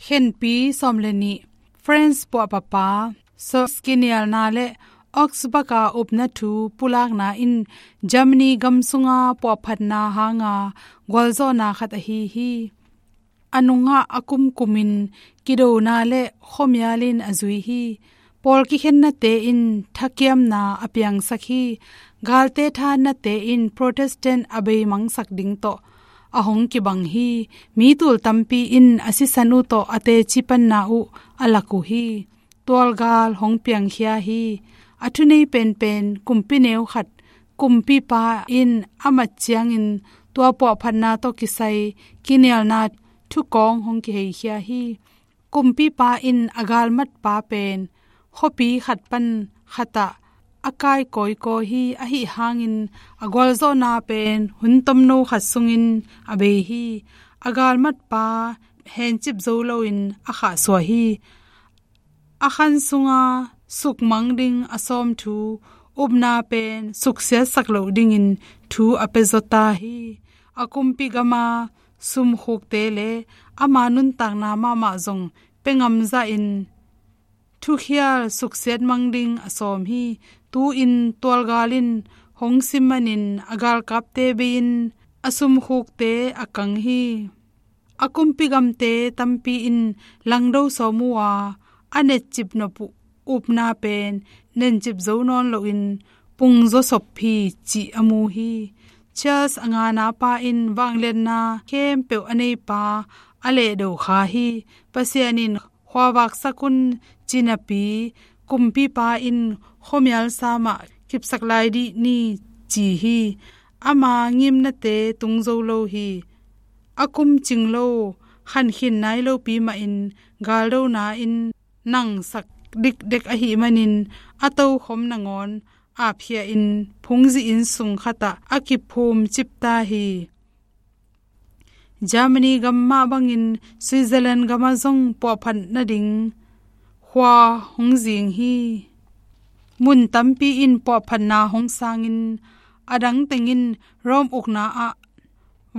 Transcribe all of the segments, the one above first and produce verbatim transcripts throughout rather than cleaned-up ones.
Khenpi sawm le nih. France puahpapa Sors kinialna le Augsburg a upna thu pulakna in Germany gam sunga puahphatna hanga gualzawhna khat ahi hi. A nungah a kumkumin kidona le khuamial in a zui hi. Pawl kikhennate in thakiamna a piangsak hi. Galte thanate in Protestant a beimangsak ding tawh a hong kibang hi. Mi tul tampi in a sisan uh tawh a teci panna uh a lak uh hi. Tualgal hong piangkhia hi. A thunei penpen kumpi neu khat kumpipa in a mat ciangin tua puahphatna tawh kisai kinialna thukawng hong kiheikhia hi. Kumpipa in a galmatpa pen khuapi khat pan khatah a kai kawikawi hi. Ahi hangin a gualzawhna pen hun tomno khat sungin a bei hi. A galmatpa hencip zo loin a khahsuah hi. A khan sunga sukmang ding a sawm thu upna pen suksiatsak loh dingin thu a pia zaw ta hi. A kumpi gama sumkhukte le ama nuntakna mahmah zong pia ngamzahin thukhial suksiat mang ding a sawm hi. Tu-in tualgal in hong sim manin a galkapte bei-in a sumkhukte a kang hi. A kumpi gamte tampi in langdo sawm uh a, a netcip nop uh upna pen nencip zo nawn loin pungzaw sop hi cih a mu hi. Charles a nganapa in vangliatna khempeuh a neipa a lehdo kha hi. Pasian in khuavaksak un ci napi kumpipa in khuamial samah kipsak lai dih ni ci hi. Ama ngimnate tung zo lo hi. A kum cing lo, khankhin nai lopi mahin galdona in nangsak dikdek ahih manin a tokhom nangawn apkhia in phungzi inn sung khatah a kiphum cip ta hi. Germany gam mah bangin Switzerland gamah zong puahphat nading khua hong zing hi. Mun tampi in puahphatna hong sangin a dang tengin Rome ukna ah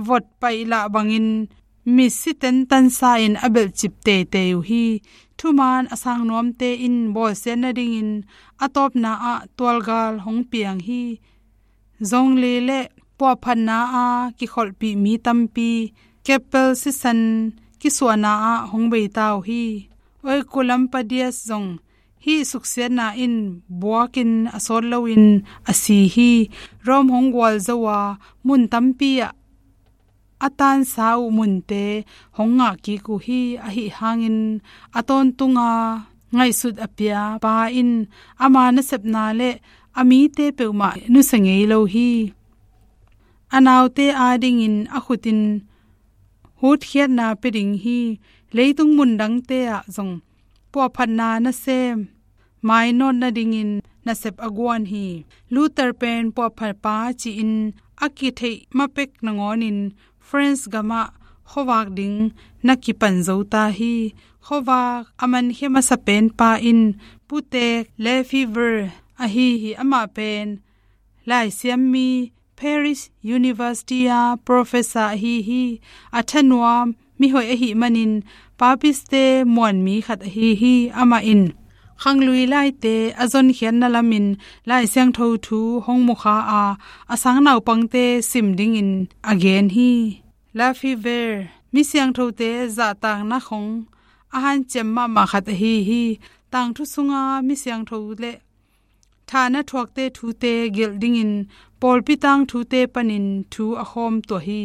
vot paih lah bangin misi tentansa in a belhcip teitei uh hi. Thuman a sang nuamte in bawlsiat nadingin a tawpna ah tualgal hong piang hi. Zong le le puahphatna a kikholhpih mi tampi keppel sisan kisuahna ah hong beita uh hi. Oikulambadias zong hih suksiatna in buakin a sawt loin a si hi. Rome hong gualzo a mun tampi ah a tansa uh munte hong ngah kik uh hi. Ahi hangin a tawntunga ngaihsut a pia pa in ama nasepna le a mite peuhmah nusia ngei lo hi. A naute adingin a khutin hutkhiatna pia ding hi. Leitung mundangte ah zong puahphatna nasem mainawt nadingin nasep a guan hi. Luther pen puahphatpa ci-in a kitheih mapek nangawnin France gamah khuavak ding na kipan zo ta hi. Khuavak a mankhia masa penpa in Putek Lefebvre ahi hi. Amah pen laisiammi Paris University a professor ahi hi. A thanuam mihoih ahih manin papiste muanmi khat ahi hi. Amah in khanglui laite a zonkhiatna lamin Lai Siangtho thu hong mukha a, a sang naupangte sim dingin a gen hi. Lefebvre misiangthote zahtakna khong a hanciam mahmah khat ahi hi. Tangthu sunga misiangtho le thahna thuakte thute gelh dingin pawlpi tangthute panin thu a khawm tuah hi.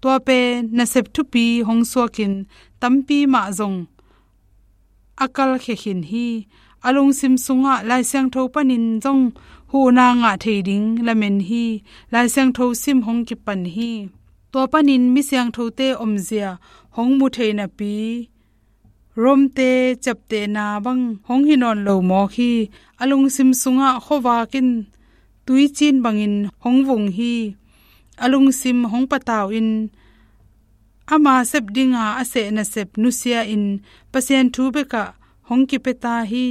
Tua pen nasep thupi hong suakin tampi mah zong a kalkhia khin hi. A lungsim sungah Lai Siangtho panin zong huhna ngah thei ding lamen hi. Lai Siangtho sim hong kipan hi. Tua panin misiangthote omzia hong mu thei napi Rome-te ciaptehna bang hong hi nawn lo mawk hi. A lungsim sungah khuavak in tuicin bangin hong vung hi. A lungsim hong patau in ama sep dinga a seh nasep nusia in Pasian thu bekah hong kipia ta hi.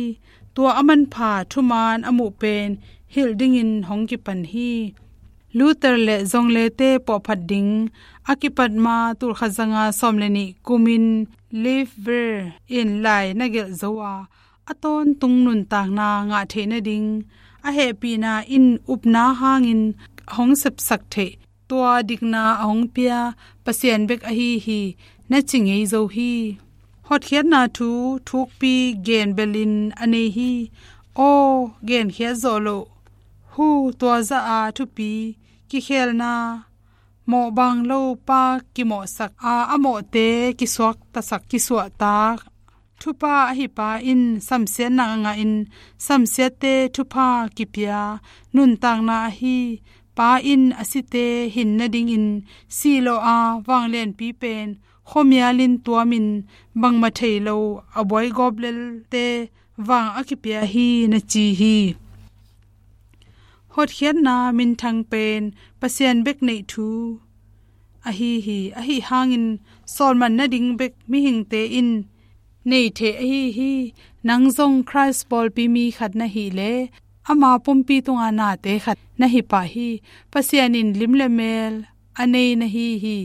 Tua a manpha thuman a muh pen hilh dingin hong kipan hi. Luther le zonglete puahphat ding a kipat ma tulkhat zanga sawm le nih kumin Lefevre in lai na gelh zo a, a tawntung nuntakna ngah theih nading a hehpihna in upna hangin a hong sepsak theih, tua dikna a hong pia Pasian bek ahi hi, na ci ngei zo hi. Hotkhiatna thu thukpi gen belin a nei hi. Aw, genkhiat zawh loh, hu, tua zah a thupi, kikhelna, mawhbang lo pa kimawhsak a, a mawhte kisuaktasak, kisuahtak. Thupha ahi pa in samsiatna a ngahin, samsiatte thupha kipia nuntakna ahi. Pa in a site hin nadingin sih lawh a, vanglianpi pen khuamialin tuamin bangmah thei lo a buaigawp lelte vang a kipia hi, na ci hi. Hotkhiatna minthang pen Pasian bek neih thu ahi hi. Ahi hangin sawlman nading bek mihingte in nei thei ahi hi. Nang zong Khrist pawlpi mi khat na hih leh, ama pumpi tunga nate khat na hi pah hi. Pasian in lim le mel a nei na hi hi.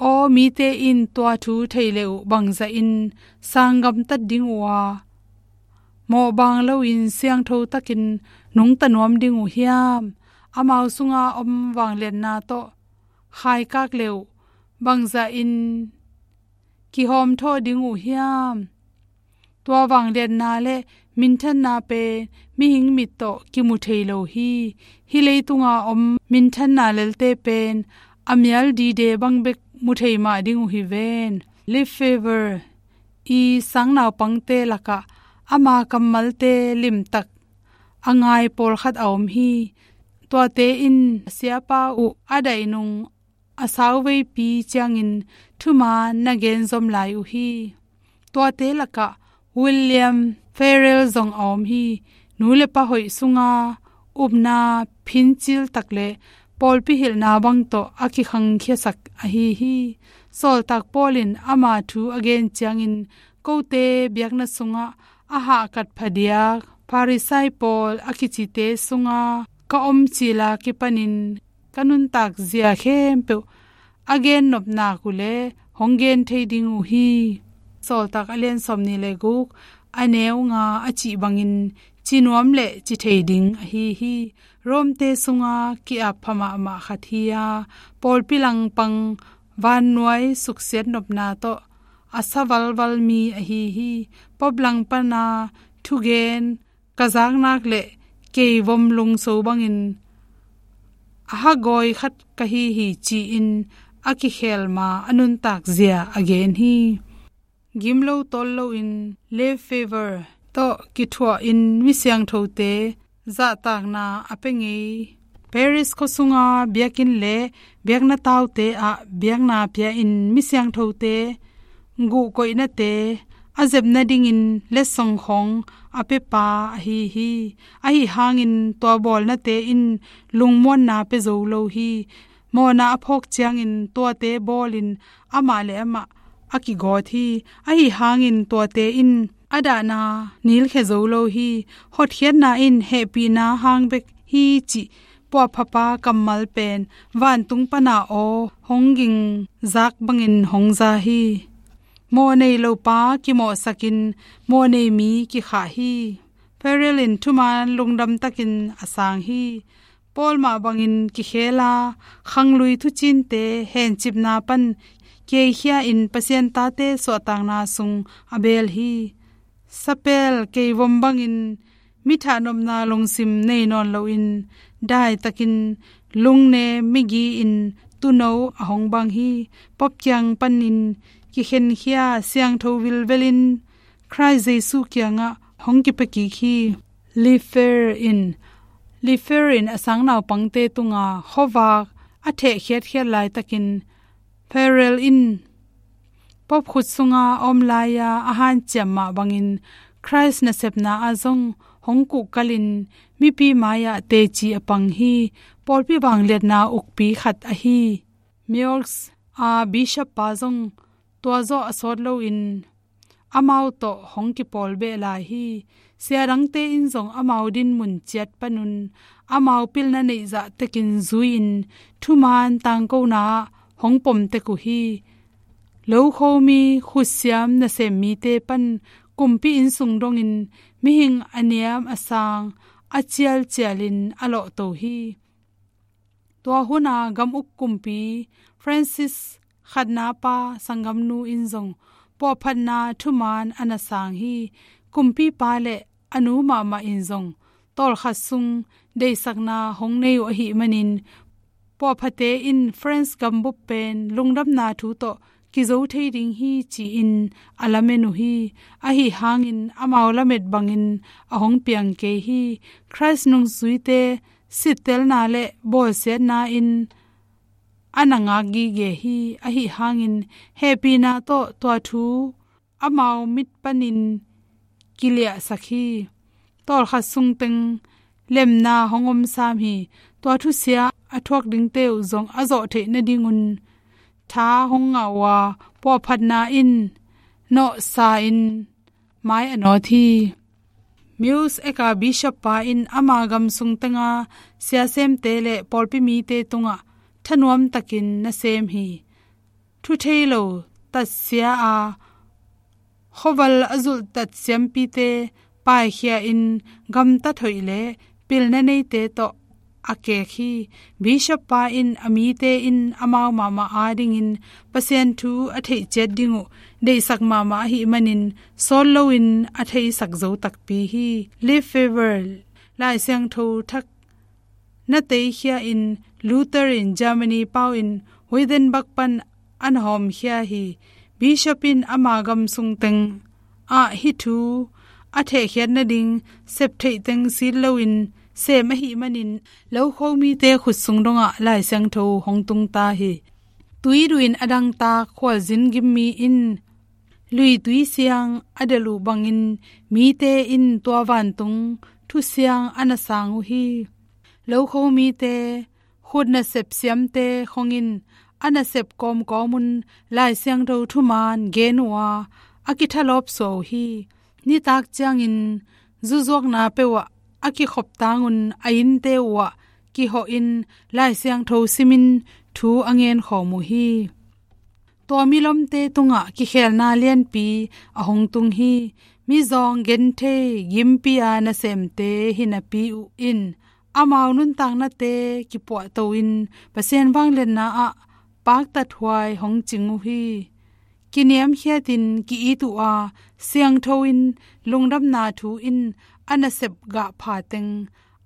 Aw, mite in tua thu thei le uh bangzahin sanggamtat ding uh a, mawhbang loin siangtho takin nungta nuam ding uh hiam? Amau sunga om vangliatna tawh khaikak le uh bangzahin kihawmthawh ding uh hiam? Tua vangliatna le minthanna pen mihing mit tawh kimu thei lo hi. Hih leitunga om minthanna lelte pen a mial dide bang bek mu thei mah ding uh hi ven. Lefevre i sangnaupangte lakah ama kammalte limtak a ngai pawlkhat a om hi. Tuate in a siapa uh a daih nung a sauveipi ciangin thuman na genzom lai uh hi. Tuate lakah William Farel zong a om hi. Nu le pa hoih sunga upna phincil tak le pawlpi hilhna bang tawh a kikhangkhiasak ahi hi. Sawltak Paul in ama thu a gen ciangin, kote biakna sungah a hahkat phadiak Pharisai pawl a kicite sunga ka om cila kipanin ka nuntak zia khempeuh a gen nopnak uh le hong gen thei ding uh hi. Sawltak a lian sawmnih le guk, a neu nga a cih bangin ci nuam le ci thei ding ahi hi. Romte sunga ki-ap pha mahmah khat hi a, pawlpi langpang vannuai suksiat nopna tawh a sa valval mi ahi hi. Pop lang pana thugen ka zaknak le keivom lungso bangin a hagawi khat ka hi hi, ci-in a kikhelma a nuntak zia a gen hi. Gimlo tawl loin Lefevre tawh kithuahin mi siangthote zahtakna a pia ngei. Paris khua sunga biakinn le biakna taute ah biakna pia-in mi siangthote guhkoihnate a zep nadingin letsong khawng a piapa ahi hi. Ahi hangin tua bawlnate in lungmuanna pia zo lo hi. Mawhna a phawk ciangin tuate bawlin amah le amah a kigawt hi. Ahi hangin tuate in a dahna nilkhia zo lo hi. Hotkhiatna in hehpihna hang bek hi cih puahphapa kammal pen vantung pana aw hong gingzak bangin hong za hi. Mawh nei lopa kimawhsakin mawh nei mi kikhah hi. Farel in thuman lungdam takin a sang hi. Paul mah bangin kikhel a, khanglui thucinte hencipna pan keikhia in Pasian tate suahtakna sung a beel hi. Sapel keivom bangin mi thahnopna lungsim nei nawn loin daitakin lungnem migi-in tuuno a hong bang hi. Pop kiang panin kikhenkhia siangtho vilvelin Khrist Jesu kiangah hong kipia kik hi. Lefevre in, Lefevre in a sangnaupangte tunga khuavak a thehkhiatkhiat laitakin Farel in Pop khut sunga a om lai-a a hanciam mah bangin Khrist nasepna ah zong hong kuhkalin mipi mai-ah teci a pang hi. Pawlpi vangliatna ukpi khat ahi Meaux a bishop pa zong tua zawh a sawt loin amau tawh hong kipawl beh lai hi. Sia dangte in zong amau dinmun ciat panun amau pilna neih zah tekin zui-in thuman tangkona ah hong pom tek uh hi. Lokhomi khutsiam nasem mite pan kumpi inn sung dongin mihing a niam a sang a cialcialin a lawhto hi. Tua huna gam uk kumpi Francis khatna pa sanggamnu in zong puahphatna thuman a na sang hi. Kumpipa le a nu mahmah in zong tawlkhat sung deihsakna hong nei uh ahih manin, puahphate in France gambup pen lungdamna thu tawh kizo thei ding hi ci-in a lamen uh hi. Ahi hangin amau lamet bangin a hong piang kei hi. Christ nungzuite sittelna le bawlsiatna in a na ngak gige hi. Ahi hangin hehpihna tawh tua thu amau mit panin kiliahsak hi. Tawlkhat sung teng lemna hong om sam hi. Tua thusia a thuak dingte uh zong a zawh theih nadingun tha hong ngah uh a, puahphatna in nawhsa in mai a nawt hi. Meuxek a bishop pa in ama gam sung tenga siasemte le pawlpi mite tungah thanuam takin nasem hi. Thu thei lo tatsia a khuaval a zulh tatsiampite paikhia in gamtat hoih le pilna neite tawh a kek hi. Bishop pa in a mite in amau mahmah adingin Pasian thu a theih ciat ding uh deihsak mahmah ahih manin sawt loin a theisak zo takpi hi. Lefebvre Lai Siangtho thak na teikhia in Luther in Germany pau in Wittenberg pan a na hawmkhia hi. Bishop in ama gam sung teng ah hih thu a thehkhiat nading septheih teng sit loin sem ahih manin Lokho mite khut sung dongah Lai Siangtho hong tungta hi. Tuiduh in a dangtak khualzin gimmi in luitui siang a delh uh bangin mite in tua vantung thusiang a na sang uh hi. Lokho mite khut nasep siamte khongin a nasep kawmkawmun Lai Siangtho thuman gen uh a, a kithalawp suah uh hi. Nitak ciangin zuzuakna peuhah a kikhop tangun a innte uhah kihawhin Lai Siangtho simin thu a ngenkhawm uh hi. Tua milomte tungah kikhelna lianpi a hong tung hi. Mizawng genthei gimpi a nasemte hi napi uh in amau nuntaknate kipuahto in Pasian vangliatna ah paktathuai hong cing uh hi. Kiniamkhiatin ki-it uh a, siangtho in lungdamna thu in a nasep gahpha teng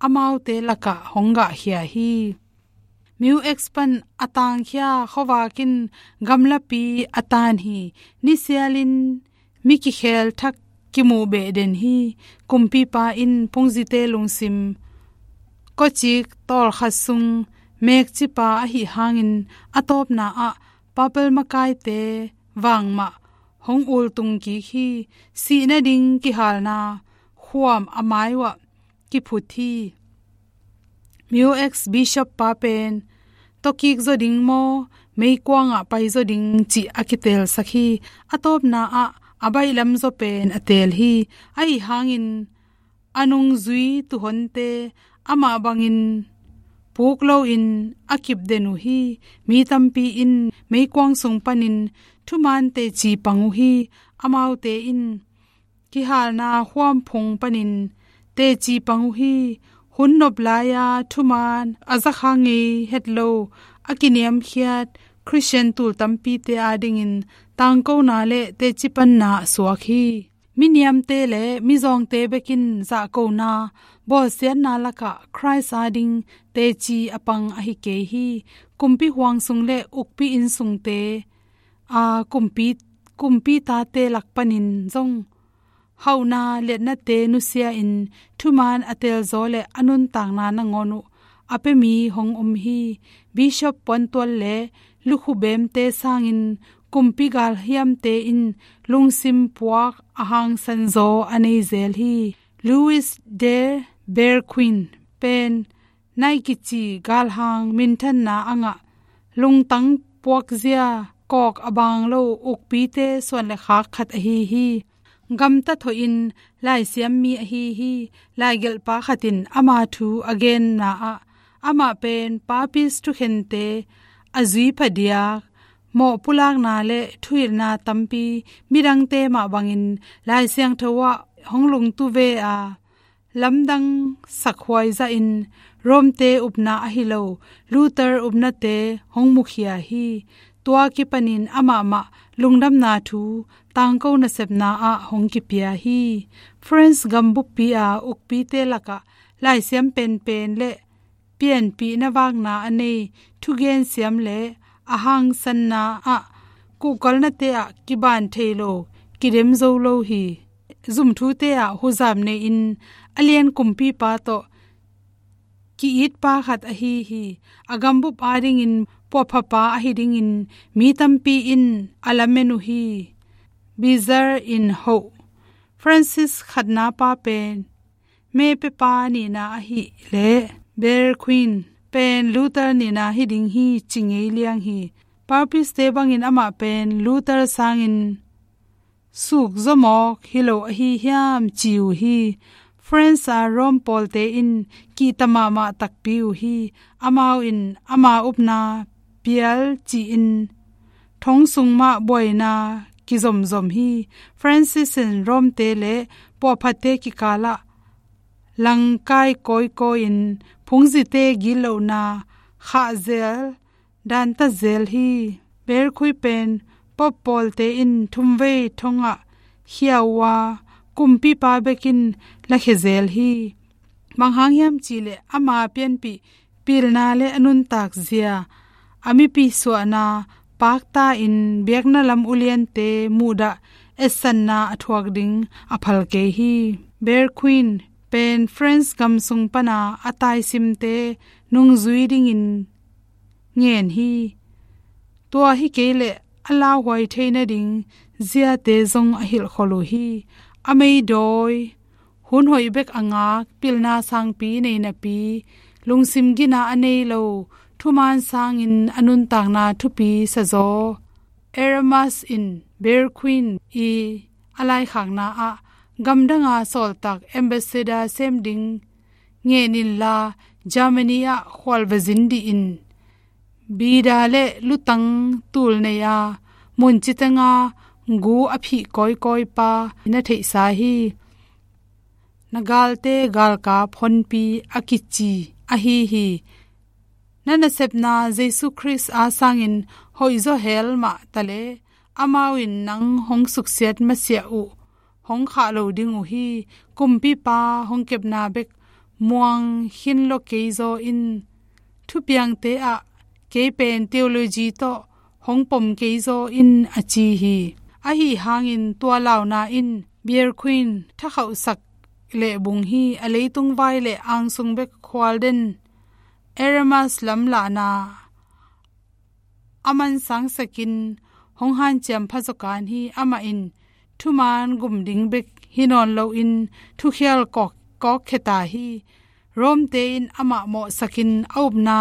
amaute lakah hong gahkhia hi. Meuxek pan a tangkhia khuavak in gamlapi a tan hi. Nisialin mi kikhel thak kimuh behden hi. Kumpipa in phungzite lungsim kawcik tawlkhat sung mekcipa ahi hangin a tawpna ah papal makaite vangmah hong ultung kik hi. Sih nading kihalna khuam a mai uhah kiphut hi. Meuxek bishop pa pen tawkik zaw ding maw, meikuangah pai zaw ding cih a kitelsak hi. A tawpna ah a baihlam zaw pen a teel hi. Ahi hangin a nungzui tuhonte amah bangin puk loin a kipden uh hi. Mi tampi in meikuang sung panin thuman teci pang uh hi. Amaute in kihalna khuamphung panin teci pang uh hi. Hun nop lai-a thuman a zakha ngei het lo a kiniamkhiat Khristian tul tampite adingin tangkona le teci panna a suak hi. Miniamte le mizawngte bekin zahkona bawlsiatna lakah Khrist ading teci a pang ahi kei hi. Kumpi huang sung le ukpi inn sungte a kumpi, kumpi tate lak panin zong hauhna liatnate nusia in thuman a telzaw le a nuntakna nangawn uh a pia mi hong om hi. Bishop puantual le lukhu bemte sangin kumpi galhiamte in lungsim puak a hangsanzaw a nei zel hi. Louis de Berquin pen Nike kici galhang minthanna a ngah lungtang puakzia kawk a bang lo ukpite suan le khak khat ahi hi. Gamtat hoihin laisiam mi ahi hi. Laigelhpa khat in ama thu a genna ah amah pen papist thukhente a zui phadiak mawhpulakna le thuhilhna tampi midangte mah bangin Lai Siangtho ah hong lungtu ve a, lamdang sakhuai zahin Rome-te upna ahi lo, Luther upnate hong mukhia hi. Tua kipanin amah mah lungdamna thu tangko nasepna ah hong kipia hi. France gambuppi a ukpite lakah laisiam penpen le pianpihna vakna a nei thugensiam le a hangsanna ah kuhkalnate ah kiban thei lo, kidem zo lo hi. Zumthute ah huzap nei-in a lian kumpipa tawh ki-itpa khat ahi hi. A gambup adingin puahphapa ahi dingin mi tampi in a lamen uh hi. Bizarre in hoh Francis khatnapa pen mepepa nihna ahi le Berquin pen Luther nihna hi ding hi ci ngei liang hi. Papiste bangin amah pen Luther sangin suk zawmawk hi lo ahi hiam ci uh hi. France a Rome pawlte in kihta mahmah takpi uh hi. Amau in ama upna pial ci-in thong sung mah buaina kizomzom hi. Francis in Rome-te le puahphatte kikalah langkai kawikawi in phungzite gitlohna khahzel danta zel hi. Berquin pen Pope pawlte in thumvei thongah khia uh a, kumpipa bekin lakhia zel hi. Bang hang hiam cihleh ama pianpih pilna le a nuntak zia, a mipi suahna pakta in biakna lam uliante muhdah etsanna a thuak ding a phal kei hi. Berquin pen France gam sung pana a taisimte nungzui dingin ngen hi. Tua hi kei leh a lauhuai thei nading ziate zong a hilhkholh uh hi. A meidawi hun hoih bek a ngak, pilna sangpi nei napi, lungsim gina a nei lo, thuman sangin a nuntakna thupi sazaw Erasmus in Berquin i a laikhakna ah gamdanga sawltak ambassador sem ding ngen inla, Germany ah khualva zin dih in. Bida le lutang tul nei a, mun citanga gu a phih kawikawipa na theihsa hi. Na galte galkap honpi a kici ahi hi. Na nasepna Jesu Khrist a sangin hoihzaw hel mah taleh, amau in nang hong suksiat masiah uh hong khah lo ding uh hi. Kumpipa hong kepna bek muang khin lo kei zaw in, thupiangte ah kei pen theology tawh hong pom kei zaw in a ci hi. Ahi hangin tua launa in Berquin thakhauhsak lehbung hi. A leitung vai le angsung bek khualden Erasmus lamlahna a mansangsakin hong hanciam pha zawkan hi. Amah in thuman gum ding bek hi nawn loin thukhial kawk, kawkkheta hi. Rome-te in amah mawhsakin a upna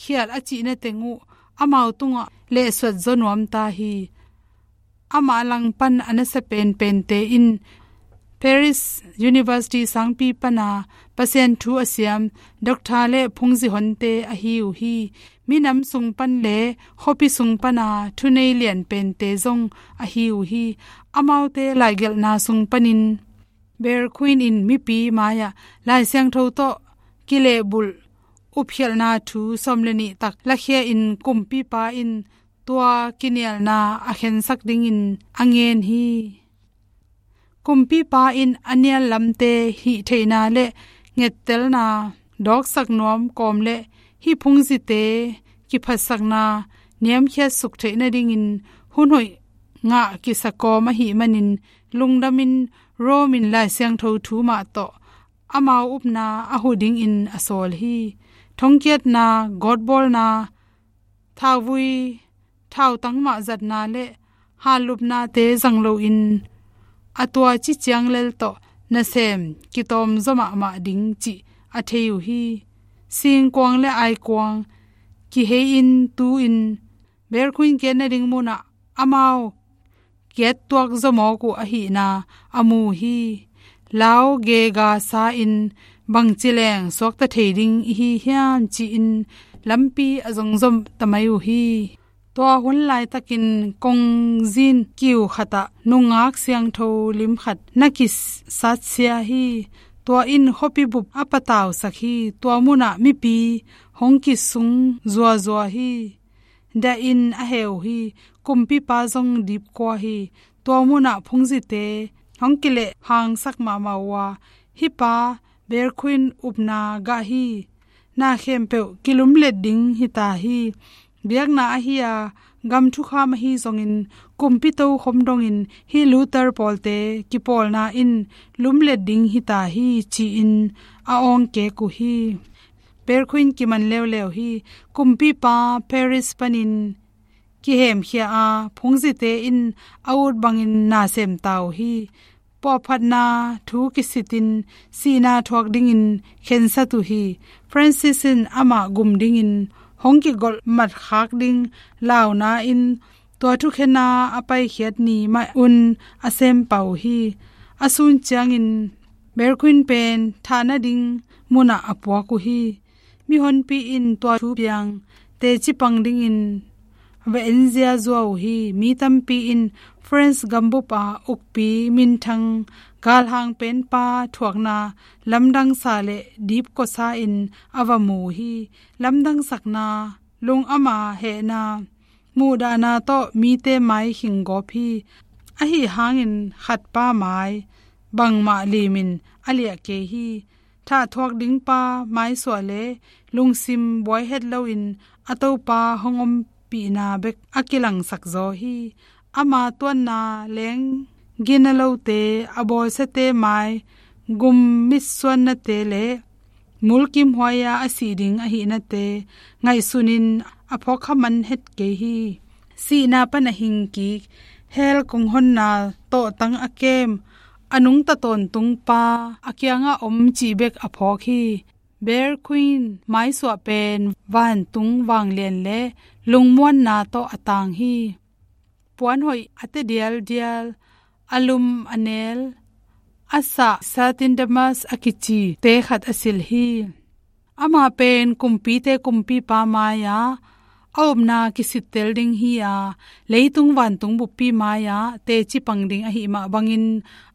khial a cihna teng uh amau tungah lehsuat zaw nuamta hi. Amah langpan a nasa penpente in Paris University sangpi pana Pasian thu a siam doctor le phungzi honte ahi uh hi. Minam sung pan le khuapi sung pana thunei lian pente zong ahi uh hi. Amaute laigelhna sung panin Berquin in mipi mai-ah Lai Siangtho tawh kilehbulh upkhialhna thu sawm le nih tak lakhia in kumpipa in tua kinialna a khensak dingin a ngen hi. Kumpipa in a nial lamte hih theihna le ngettelna dawksak nuam kawm le hih phungzite kiphatsakna niamkhiat suk theih nadingin hun hoih ngah kisa kawm ahih manin lungdamin Rome in Lai Siangtho thu mah tawh amau upna a huh dingin a sawl hi. Thongkiatna, gawtbawlna, thauvui, thautang mah zatna le hanlupnate zang loin a tua ci ciang lel tawh nasem kitawm zaw mahmah ding cih a thei uh hi. Singkuang le aikuang kihei-in tu-in Berquin kiat nading munah amau kiat tuak zaw mawk uh ahihna a mu hi. Lau gega sa-in bangci leng suakta thei ding i hi hiam ci-in lampi a zong zaw ta mai uh hi. Tua hun laitakin kongzin kiu khatah nungak siangtho lim khat na kisatsia hi. Tua in khuapi bup a patausak hi. Tua munah mipi hong kisung zuazua hi. Dah in a heu hi. Kumpipa zong dipkua hi. Tua munah phungzite hong kileh hangsak mahmah uh a, hih pa Berquin upna gah hi. Na khempeuh kilumlet ding hita hi. Biakna ahi a, gam thukham ahi zongin, kumpi tokhom dongin hih Luther pawlte kipawlna in lumlet ding hita hi, ci-in a awngkek uh hi. Berquin kiman leuleu hi. Kumpipa Paris panin kihemkhia a, phungzite in a ut bangin na semta uh hi. Puahphatna thu kisitin sihna thuak dingin khensat uh hi. Francis in amah gum dingin hong kigolh matkhak ding launa in tua thukhena a paikhiat ni mah un a sem pah uh hi. A sun ciangin Berquin pen thah nading munah a puak uh hi. Mihonpi in tua thu piang teci pang dingin va en ziazua uh hi. Mi tampi in France gambup a ukpi minthang galhang penpa thuakna lamdangsa le dipkuasa in a va mu uh hi. Lamdangsakna, lungdamna, hehna, muhdahna tawh mite mai khing gawp hi. Ahi hangin khatpa mai bangmah limin a liah kei hi. Thah thuak dingpa maisuah le lungsim buai het loin a topa hong ompihna bek a kilangsak zaw hi. Ama tuanna leng gina lote, a bawlsiate mai gum mitsuannate le mulkimhuai-a a sih ding ahihnate ngaihsunin a phawkkha man het kei hi. Sihna pan a hingkik, hell kong honna tawhtang a kem, a nungta tawntungpa a kiangah om cih bek a phawk hi. Berquin maisuah pen vantung vanglian le lungmuanna tawh a tang hi. Puanhoih a te dialdial, a lum a nel, a sah satin damask a kici te khat a silh hi. Amah pen kumpite kumpipa mai-a a upna kisittel ding hi-a, leitung vantung buppi mai-a teci pang ding ahi mah bangin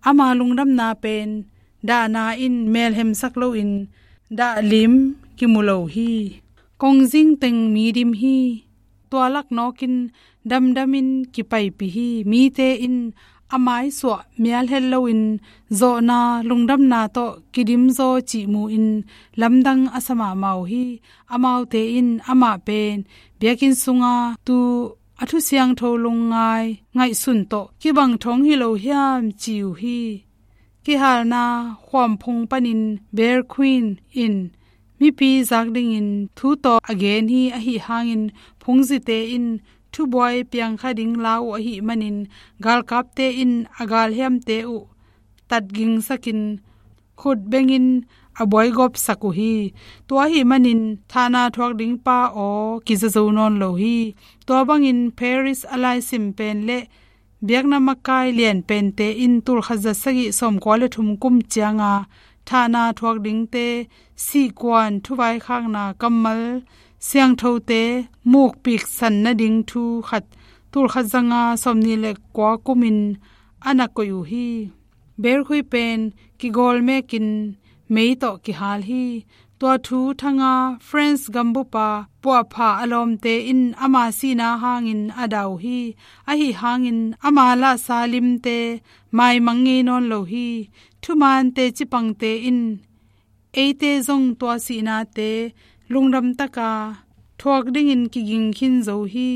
ama lungdamna pen dahna in melhemsak loin dahlim kimu lo hi. Kongzing teng mi dim hi. Tua lak nawkin damdamin kipaipih hi. Mite in a maisuah mial het loin zawhna lungdamna tawh kidimzaw cih mu-in lamdang a sa mahmah uh hi. Amaute in amah pen biakinn sunga tu a thusiangtho lungngai ngaihsun tawh kibang thong hi lo hiam ci uh hi. Kihalna khuamphung panin Berquin in mipi zak dingin thu tawh a gen hi. Ahi hangin phungzite in thubuai piangkha ding la uh ahi manin galkapte in a galhiamte uh tatgingsakin khut bengin a buaigawpsak uh hi. Tua ahi manin thahna thuak dingpa aw kiza zo nawn lo hi. Tua bangin Paris a laisim pen le biakna makai lian pente in tulkhat za sagih sawmkua le thum kum cianga thahna thuak dingte sihkuan thuvaikhakna kammal siangthote mukpiksan nading thu khat tulkhat zanga sawmnih le kua kumin a na koih uh hi. Berquin pen kigawlmekin mei tawh kihal hi. Tua thu thanga France gambupa puahpha a lawmte in ama sihna hangin a dah uh hi. Ahi hangin ama lahsa limte maimang ngei nawn lo hi. Thumaan teci pangte in eite zong tua sihnate lungdamtaka thuak dingin kiging khin zo hi.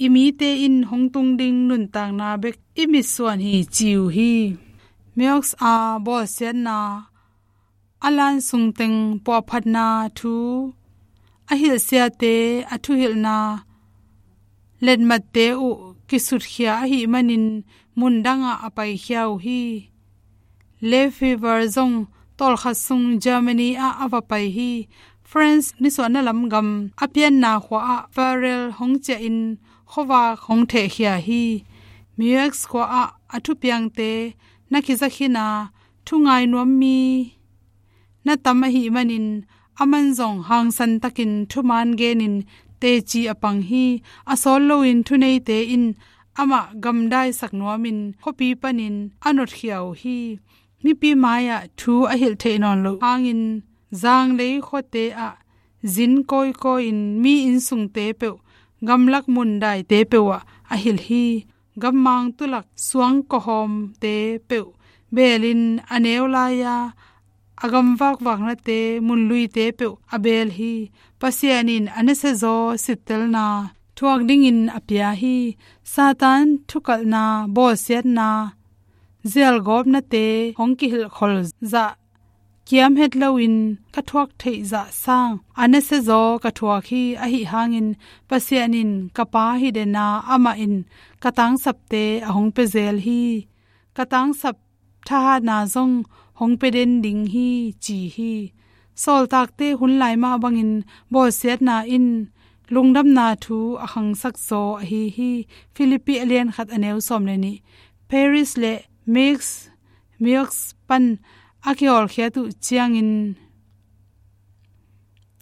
I mite in hong tung ding nuntakna bek i mitsuan hi ci uh hi. Meaux a bawlsiatna a lan sungteng puahphatna thu a hilhsiate a thuhilhna letmatte uh kisutkhia ahi manin mundangah a paikhia uh hi. Lefebvre zong tawlkhat sung Germany ah a va pai hi. France nisuahna lam gam a pianna khua ah Farel hong ciahin khuavak hong thehkhia hi. Meaux khua ah a thupiangte na kizakhin a, thungai nuam mi na tam ahi manin aman zong hangsan takin thumaan genin teci a pang hi. A sawt loin thuneite in amah gamdaisak nuamin khuapi panin a notkhia uh hi. Mipi mai-ah thu a hilh theih nawn loh hangin zanglei khuate ah zin kawikawi-in mi innsungte peuh, gamlak mun daite peuh ah a hilh hi. Gammang tulak suang kawhawmte peuh beelin a neu lai-a, a gamvakvaknate munluite peuh a beel hi. Pasian in a nasiazaw sittelna thuak dingin a pia hi. Satan thukalhna, bawlsiatna, zialgawpnate hong kihilhkhol zah kiam het loin ka thuak theih zah sang a nasiazaw ka thuak hi. Ahi hangin Pasian in ka Pa hi den a, amah in ka tangsapte a hong pia zel hi. Ka tangsap thahatna zong hong pia den ding hi, ci hi. Sawltakte hun lai mah bangin bawlsiatna in lungdamna thu a khangsak zaw ahi hi. Philippi a lian khat a neu sawm le nih. Paris le Mix Miox pan a kihawlkhiat uh ciangin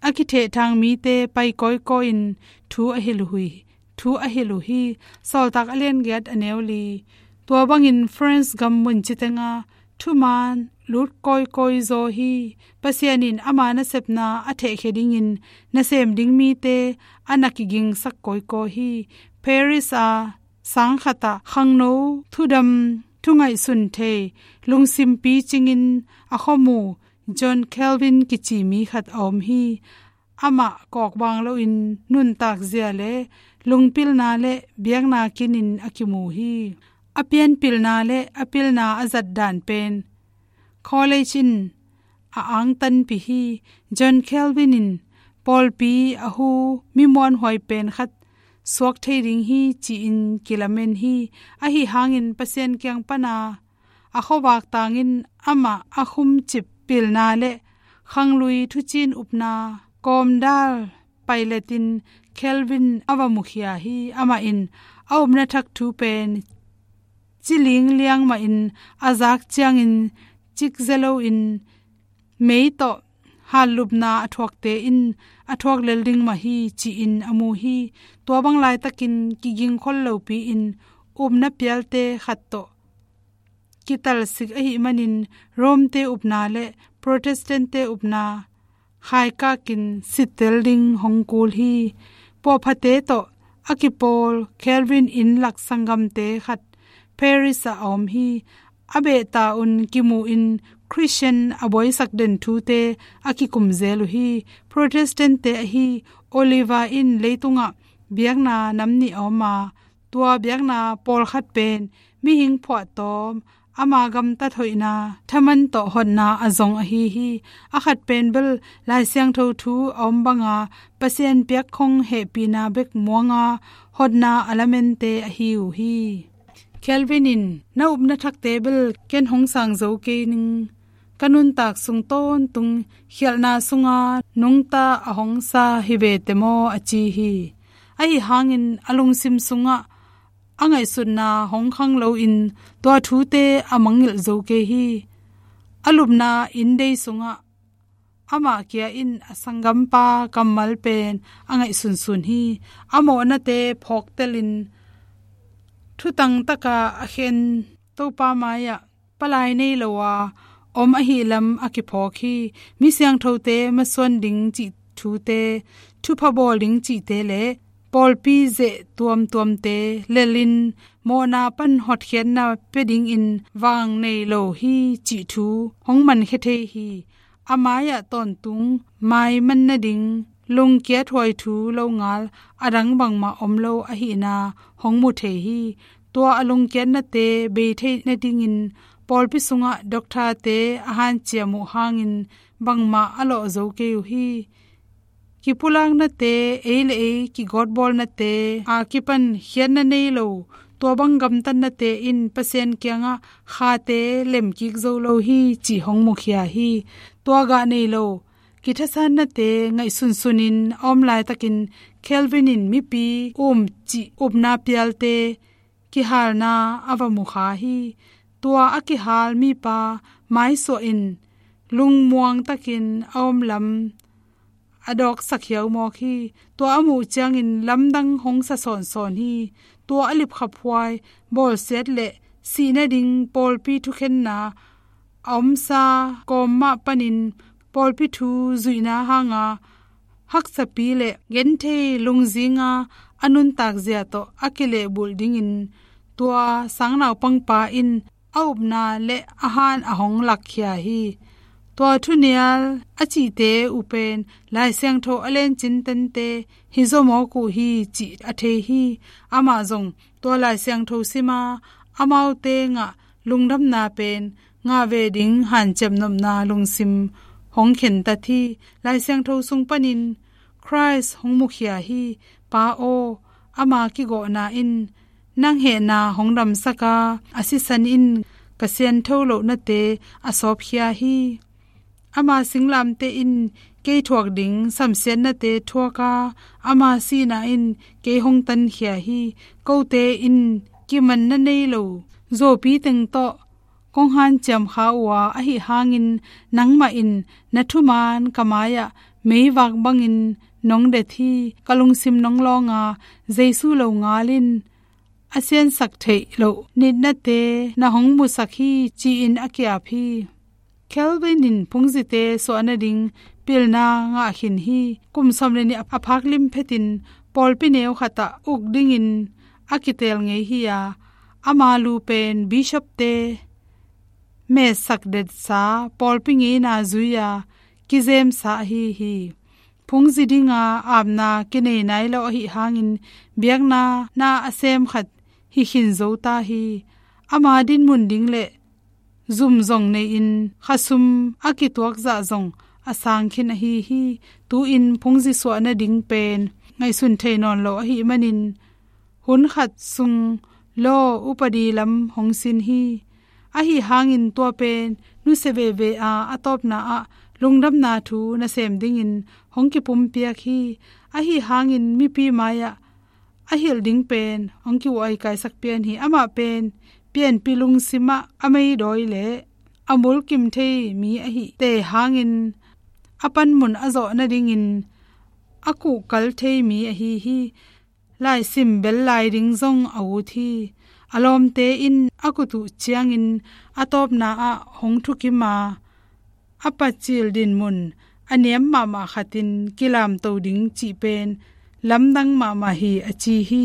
a kithehthang mite pai kawikawi-in thu a hilh uh hi, thu a hilh uh hi. Sawltak a lian giat a neu li. Tua bangin France gam mun citeng ah thuman lut kawikawi zaw hi. Pasian in ama nasepna a thehkhia dingin nasem ding mite a na kigingsak kawikawi hi. Paris a sang khat ah khangno thudam, thu ngaihsun thei, lungsim picingin a khuamu John Calvin kici mi khat a om hi. Amah kawkbang loin nuntakzia le lungpilna le biakna kinin a kimu hi. A pianpilna le a pilna a zat dan pen college in a angtanpih hi. John Calvin in pawlpi a hu mi muanhuai pen khat suak thei ding hi, ci-in kilamen hi. Ahi hangin Pasian kiang pana a khuavak tangin amah a khumcip pilna le khanglui thucin upna kawmdal pailetin Calvin a va mukhia hi. Amah in a upna thak thu pen ciling liang mahin a zak ciangin cikze loin mei tawh hatlupna a thuakte in a thuak lel ding mah hi, ci-in a mu hi. Tua bang laitakin kigingkhol lopi-in upna pialte khat tawh kitalsik ahih manin Rome-te upna le Protestant-te upna khaikakin sittel ding hong kul hi. Puahphate tawh a kipawl Calvin inn lak sanggamte khat Paris ah a om hi. A behta un kimu-in Christian a buaisak den thute a kikum zel uh hi. Protestant-te ahi Oliver in leitungah biakna nam nih a om a, tua biakna pawlkhat pen mihing phuahtawm, ama gamtat hoihna thaman tawh hotna a zong ahi hi. A khat pen bel Lai Siangtho thu a om banga Pasian piakkhong hehpihna bek muanga hotna a lamente ahi uh hi. Calvin in, "Na upna thakte bel ken hong sang zo kei ning, ka nuntak sung tawntung khialhna sunga nungta a hong sa hi vete maw?" a ci hi. Ahi hangin a lungsim sungah a ngaihsutna hong khang loin tua thute a mangngilh zo kei hi. A lupna inndei sungah amah kia in a sanggampa kammal pen a ngaihsunsun hi. A mawhnate phawktelin thutang taka a khen Topa mai-ah palai nei lo a om ahi lam a kiphawk hi. Mi siangthote masuan ding cih thute, thupha bawl ding cihte le pawlpi zeh tuamtuamte lelin mawhna pan hotkhiatna pia dingin vang nei lo hi cih thu hong mankhia thei hi. A mai-ah tawntung maiman nading lungkiat huai thu longal a dang bangmah om lo ahihna hong mu thei hi. Tua a lungkiatnate bei theih nadingin pawlpi sungah doctor-te a hanciam uh hangin bangmah a lawh zo kei uh hi. Kipulaknate, ei le ei kigawtbawlnate a kipan khiatna nei lo, tua bang gamtatnate in Pasian kiangah khate lemkik zo lo hi cih hong mukhia hi. Tua gah nei lo kithasanate ngaihsunsunin a om laitakin Calvin in mipi um cih upna pialte kihalna a va mukha hi. Tua a kihal mipa maisuahin lungmuang takin a om lam a dawksak hiaumawk hi. Tua a muh ciangin lamdang hong sa sawnsawn hi. Tua a lipkhaphuai bawlsiat le sih nading pawlpi thukhenna a omsa kawm mah panin pawlpi thu zuihna hanga haksapi le genthei lungzinga a nuntak zia tawh a kilehbulh dingin tua sangnaupangpa in a upna le a han a hong lakkhia hi. Tua thunial a cihte uh pen Lai Siangtho a lencin tente hi zawmawk uh hi cih a thei hi. Amah zong tua Lai Siangtho sima amaute ngah lungdamna pen ngah ve ding hanciam nopna lungsim hong khentat hi. Lai Siangtho sung panin Khrist hong mukhia hi. Pa aw, ama kigawhna in nang hehna hong damsaka a sisan in ka siantho lohnate a sawpkhia hi. Ama singlamteh in kei thuak ding samsiatnate thuaka ama sihna in kei hong tankhia hi. Kote in kimanna nei lo zuapi teng tawh kong hanciam kha uh a, ahi hangin nangmah in na thuman ka mai-ah meivak bangin nong det hi. Ka lungsim nong lawnga Jesu lo ngal in a siansak theih loh nitnate na hong musak hi, ci-in a kiap hi. Kelvin in phungzite suah nading pilna ngah khin hi. Kum sawm le nih a phak limphetin pawlpi neu khatah uk dingin a kitel ngei hi a, ama lu pen bishopte metsak detsa pawlpi ngeina zui-a kizemsa ahi hi. Phungzi dinga apna kinei nai lo ahi hangin biakna na a sem khat hi khin zo ta hi. Ama dinmun ding le zum zong nei-in khasum a kituak zah zong a sang khin ahi hi. Tu-in phungzi suah nading pen ngaihsun thei nawn lo ahi manin hun khat sung law upadi lam hong sin hi. Ahi hangin tua pen nusia veve a, a tawpna ah lungdamna thu nasem dingin hong kipumpiak hi. Ahi hangin mipi mai-ah a hilh ding pen hong ki-uaikaisak pian hi. Amah pen pianpi lungsimah a meidawi le a mulkim thei mi ahi te hangin a panmun a zawh nadingin a kuhkal thei mi ahi hi. Laisim bel lai ding zong a ut hi. A lawmte in a kut uh ciangin a tawpna ah hong thukim a, a pacil dinmun a niam mahmah khatin kilamto ding cih pen lamdang mahmah hi, a ci hi.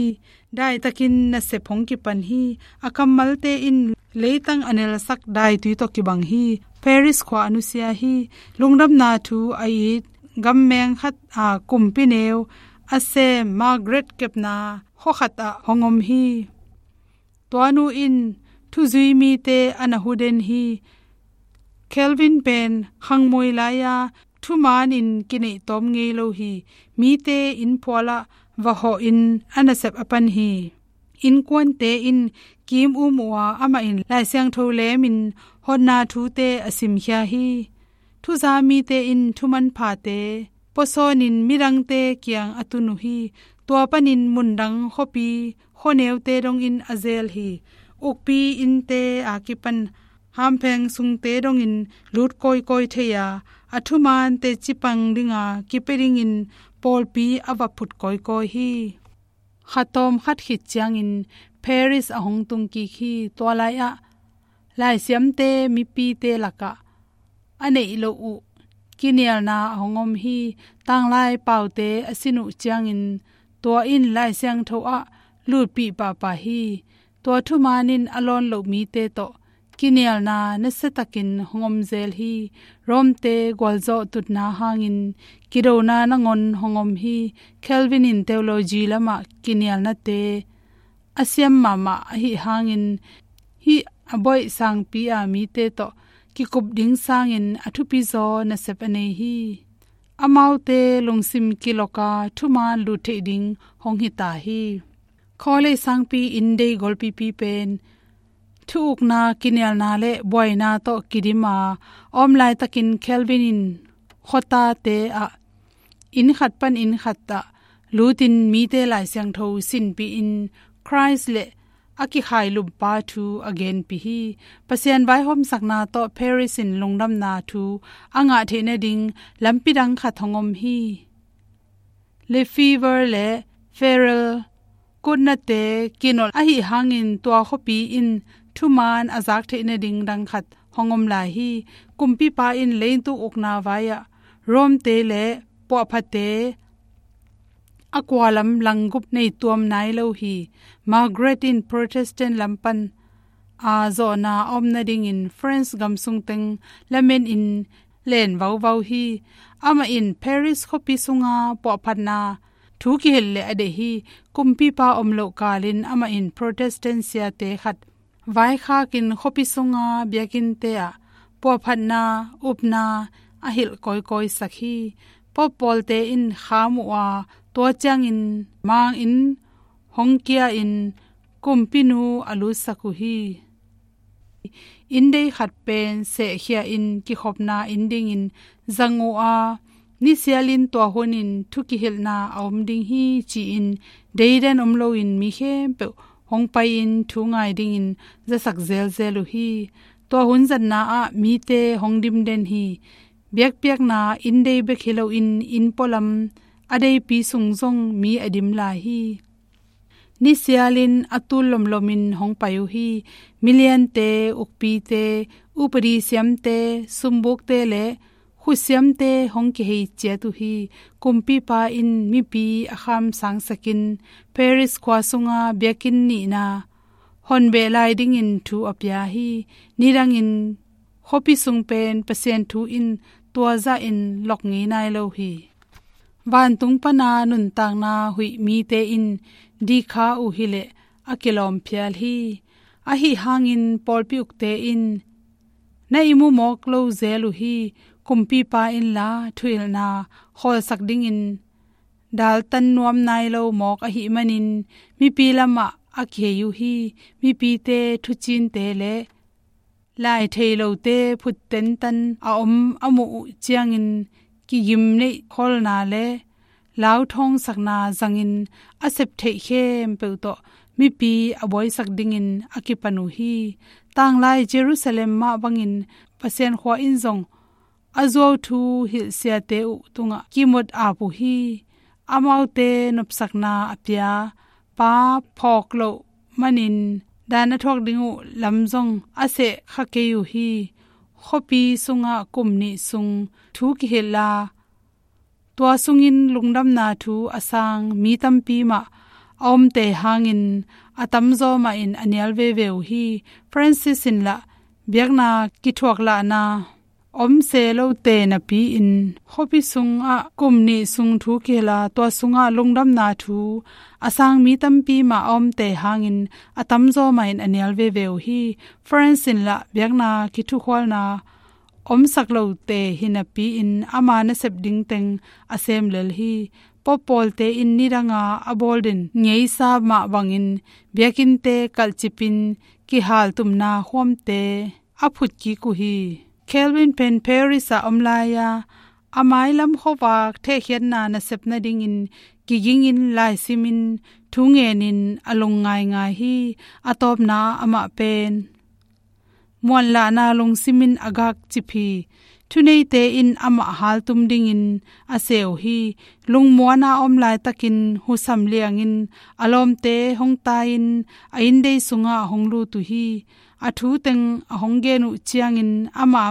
Daitakin nasep hong kipan hi. A kammalte in leitang a nelsak daitui tawh kibang hi. Paris khua a nusia hi. Lungdamna thu a it gammeng khat a kumpi neu a sem Margaret kepna khuakhat ah hong om hi. Tua nu in thuzui mite a na huden hi. Kelvin pen khangmuai lai-a thumanin kineih tawm ngei lo hi. Mite innphualah va hawhin a nasep a pan hi. Innkuante in kim um uh a, amah in Lai Siangtho lemin hotna thute a simkhia hi. Thuza mite in thuman phate pawsawnin midangte kiang a tun uh hi. Tua panin mundang khuapi khuaneute dongin a zel hi. Ukpi innte a kipan hampheng sungte dongin lut kawikawi thei a, a thuman teci pang dinga kipia dingin pawlpi a va phut kawikawi hi. Khatawm khat khit ciangin Paris a hong tung kik hi. Tua lai-ah laisiamte mipite lakah a neih loh uh kinialna a hong om hi. Tanglai paute a sin uh ciangin tua in Lai Siangtho ah lutpih pahpah hi. Tua thuman in a lawn loh mite tawh kinialna nasiatakin hong om zel hi. Rome-te gualzawh tutna hangin kidona nangawn hong om hi. Kelvin in theology lamah kinialnate a siam mahmah ahi hangin hih a bawi sangpi a mite tawh kikup ding sangin a thupizaw nasep a nei hi. Amaute lungsim kilawka thuman lut theih ding hong hita hi. Khawlei sangpi inndei golpipi pen thu ukna, kinialna le buaina tawh kidim a om laitakin Kelvin in khuatate ah inn khat pan inn khat ah lutin mite Lai Siangtho sinpihin Khrist le a kikhailup pa thu a genpih hi. Pasian vaihawmsakna tawh Paris in lungdamna thu a ngah theih nading lampi dang khat hong om hi. Lefevre le Farel kutnate kinolh ahih hangin tua khuapi in thuman a zak theih nading dang khat hong om lai hi. Kumpipa in leitung ukna vai-ah Rome-te le puahphate a kualam langgup nei tuam nai lo hi. Margaret in Protestant lam pan a zawhna a om nadingin France gam sung teng lamenin len vauvau hi. Amah in Paris khuapi sunga puahphatna thu kihilh leh a deih hi. Kumpipa om loh kalin amah in Protestant siate khat vaikhakin khuapi sunga biakinnte ah puahphatna upna a hilh kawikawisak hi. Pope pawlte in kham uh a, tua ciangin mangin hong kia-in kumpinu a lutsak uh hi. Inndei khat pen sehkhia-in kikhopna inn dingin zang uh a, nisialin tua hunin thu kihilhna a om ding hi ci-in deidan om loin mi khempeuh hong pai-in thu ngai dingin zasak zelzel uh hi. Tua hun zatna ah mite hong dimden hi. Biakpiakna inndei bek hi loin inn pualam a deipi sung zong mi a dim lai hi. Nisialin a tul lomlomin hong pai uh hi. Miliante, ukpite, upadi siamte, sumbukte le khutsiamte hong kihei ciat uh hi. Kumpipa in mipi a khamsangsakin Paris khua sunga biakinn nihna honbeh lai dingin thu a pia hi. Nidangin khuapi sung pen Pasian thu in tua zahin lok ngei nai lo hi. Vantung pana nuntakna huih mite in dikha uh hileh a kilawm phial hi. Ahi hangin pawlpi ukte in na ihmu mawk lo zel uh hi. Kumpipa inla thuhilhna khawlsak dingin daltan nuam nai lo mawk ahih manin mipi lamah a kihei uh hi. Mipite thucinte le lai thei lote phut tentan a om a muh uh ciangin kigim neih kholna le lauthawngsakna zangin a sep theih khempeuh tawh mipi a buaisak dingin a kipan uh hi. Tanglai Jerusalem mah bangin Pasian khua in zong a zuau thu hilhsiate uh tungah kimut ap uh hi. Amaute nopsakna a pia pa phawk loh manin dan a thuak ding uh lam zong a seh kha kei uh hi. Khuapi sungah kum nih sung thu kihilh a, tua sungin lungdamna thu a sang mi tampi mah a omte hangin a tamzaw mah in a nial veve uh hi. Francis in lah biakna kithuak lahna om se lote napi-in khuapi sungah kum nih sung thu kihilh a, tua sungah lungdamna thu a sang mi tampi mah a omte hangin a tamzaw mah in a nial veve uh hi. France in lah biakna kithukhualna omsak lote hi napi-in ama nasep ding teng a sem lel hi. Pope pawlte in nidanga a bawl den ngeisa mah bangin biakinnte kalhcipin kihaltumna khuamte a phut kik uh hi. Calvin pen Paris ah om lai-a a mailam khuavak thehkhiatna nasep nadingin kigingin laisimin thu ngenin a lung ngaingai hi. A tawpna ah amah pen muanlahna lungsimin a gakcip hi. Thuneite in amah haltum dingin a se uh hi. Lungmuana a om laitakin husam liangin a lawmte hong tai-in a inndei sungah hong lut uh hi. A thu teng a hong gen uh ciangin amah,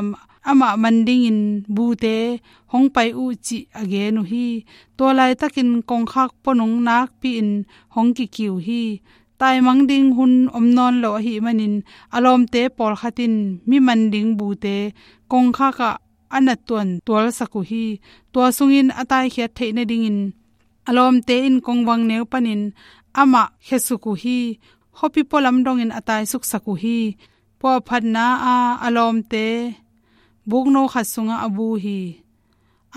amah man dingin bute hong pai uh cih a gen uh hi. Tua laitakin kongkhak puanung nakpi-in hong kiki uh hi. Taimang ding hun om nawn lo ahih manin a lawmte pawlkhat in mi man ding bute kongkhak ah a nattuan tualsak uh hi. Tua sungin a taikhiat theih nadingin a lawmte in kongvang neu panin amah khiasuk uh hi. Khuapi pualam dongin a taisuksak uh hi. Puahphatna a a lawmte bukno khat sungah a bu hi.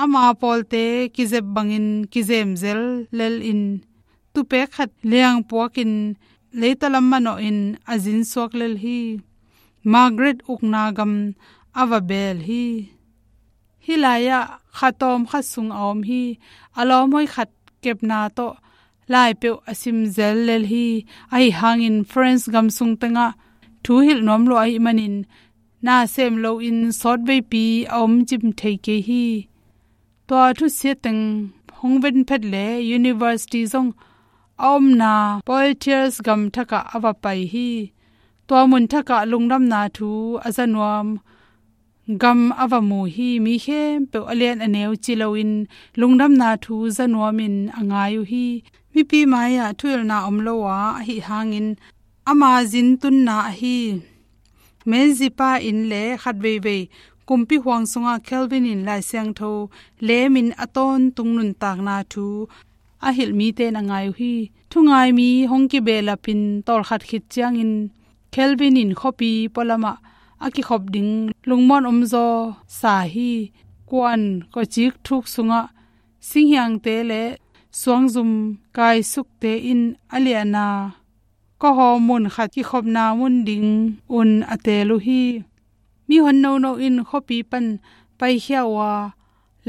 Ama pawlte kizep bangin kizem zel lel in tupek khat liangpuakin leitalam manawhin a zinsuak lel hi. Margaret ukna gam a va beel hi. Hih lai-ah khatawm khat sung a om hi. A lawmhoi khat kepna tawh lai peuh a sim zel lel hi. Ahi hangin France gam sung tengah thu hilh nuam lua ahih manin na sem loin sawtveipi a om cim thei kei hi. Tua thusia teng hong ven phet le university zong a omna Poitiers gam thakah a va pai hi. Tua mun thakah lungdamna thu a za nuam gam a va mu hi. Mi khempeuh a lian a neu ci loin lungdamna thu za nuamin a ngai uh hi. Mipi mai-ah thuhilhna om lo a, ahi hangin ama zin tunna ahi. Menzies pa in le khat veivei kumpi huang sungah Calvin in Lai Siangtho lemin a tawntung nuntakna thu a hilh mite in a ngai uh hi. Thungai mi hong kibehlapin tawlkhat khit ciangin Calvin in khuapi pualamah a kikhop ding lungmuan omzaw sa hi. Kuan kawcik thuk sungah singhiangte le suangzum kaisukte in a liahna kawhaw mun khat kikhopna mun ding un a teel uh hi. Mihon nono in khuapi pan paikhia uh a,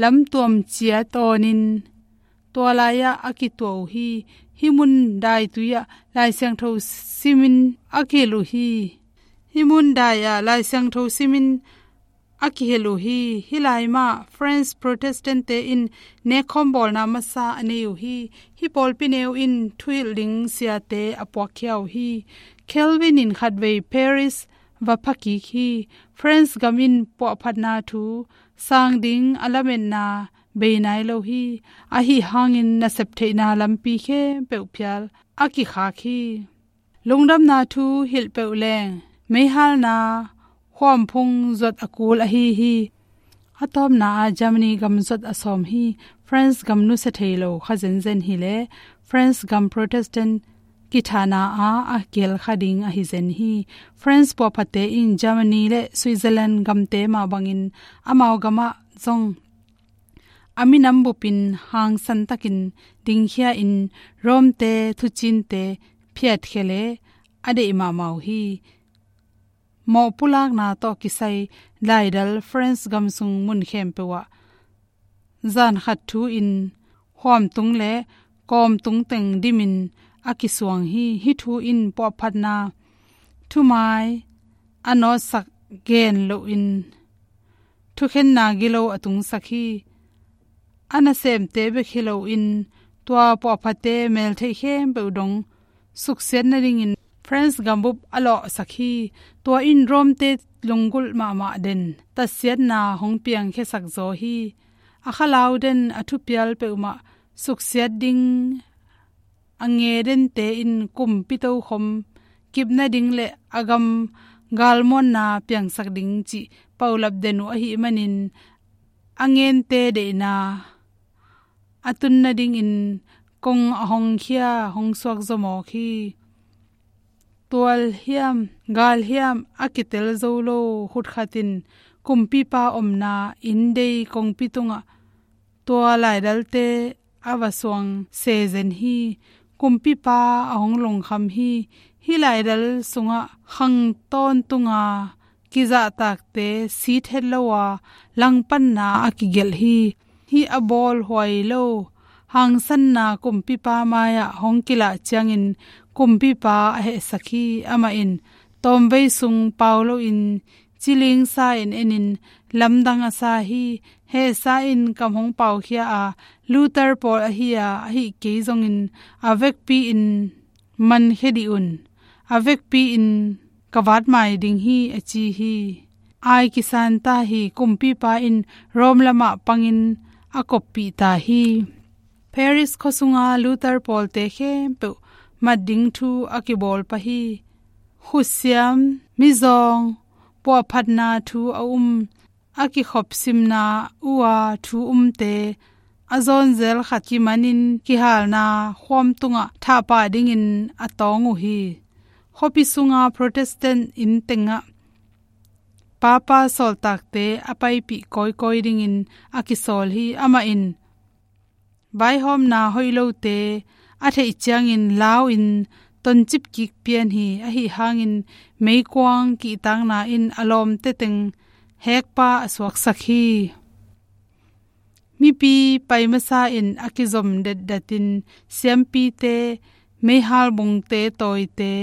lamtuam cia tawnin tua lai-ah a kituah uh hi. Hih mun daitui-ah Lai Siangtho simin a kihilh uh hi. Hih mun dai-ah Lai Siangtho simin a kihilh uh hi. Hih lai mah French Protestant-te in nekkhawm bawlna masa a nei uh hi. Hih pawlpi neu in thuhilh ding siate a puakkhia uh hi. Calvin in khatvei Paris va phakik hi. French gam in puahphatna thu sang ding a lametna bei nai lo hi. Ahi hangin nasep theihna lampi khempeuh phial a kikhak hi. Lungdamna thu hilh peuh leng meihalna huamphung zuat a kul ahi hi. A tawpna ah Germany gam zuat a sawm hi. French gam nusia thei lo kha zenzen hi le French gam Protestant kithahna ah a kihelkha ding ahi zen hi. French puahphatte in Germany le Switzerland gamte mah bangin amau gamah zong a minam bupin hangsantakin dingkhia in Rome-te thucinte phiatkhia le a deih mahmah uh hi. Mawh pulakna tawh kisai laidal French gam sung mun khempeuh ah zan khat thu in huamtung le kawmtung teng dimin a kisuang hi. Hih thu in puahphatna thumai a nawtsak gen loin thukhenna gilo a tungsak hi. A nasemte bek hi loin tua puahphatte meltheih khempeuh dong suksiat nadingin French gambup a lawhsak hi. Tua in Rome-te lunggulh mahmah den tatsiatna hong piangkhiasak zaw hi. A khalau den a thupial peuhmah suksiat ding a nge dente in kumpi tokhom kip nading le a gam galmuanna piangsak ding cih paulap den uh ahih manin a ngente deihna a tun nadingin kong a hong khia hong suak zaw mawk hi. Tual hiam gal hiam a kitel zo lo khut khat in kumpipa omna inndei kongpi tungah tua laidalte a va suang se zen hi. Kumpipa a hong lungkham hi. Hih laidal sungah khang tawntunga kizahtakte sit het lo a langpanna a kigelh hi. Hih a bawlhuai lo hangsanna kumpipa mai-ah hong kilah ciangin kumpipa a hehsak hi. Amah in tawmvei sung pau loin cilingsa in enin lamdang a sa hi. Hehsa in kam hong paukhia a, Luther pawl ahi a, ahih kei zongin a vekpi-in mankhia dih un, a vekpi-in ka vatmai ding hi, a ci hi. Ai kisanta hi. Kumpipa in Rome lamah pangin a koppih ta hi. Paris khuasunga Luther pawlte khempeuh mat ding thu a kibawl pah hi. Khutsiam, mizawng, puahphatna thu a um, a kikhopsimna uh a thu umte a zawnzel khat kimanin kihalna khuam tungah thahpah dingin a tawng uh hi. Khuapi sunga Protestant inn tengah Papa sawltakte a paipih kawikawi dingin a kisawl hi. Amah in vaihawmna hoih lote a theih ciangin lau-in toncip kik pian hi. Ahi hangin meikuang kihtakna in a lawmte teng hekpa a suaksak hi. Mipi pai masa in a kizom detdatin siampite, meihal bungte tawite,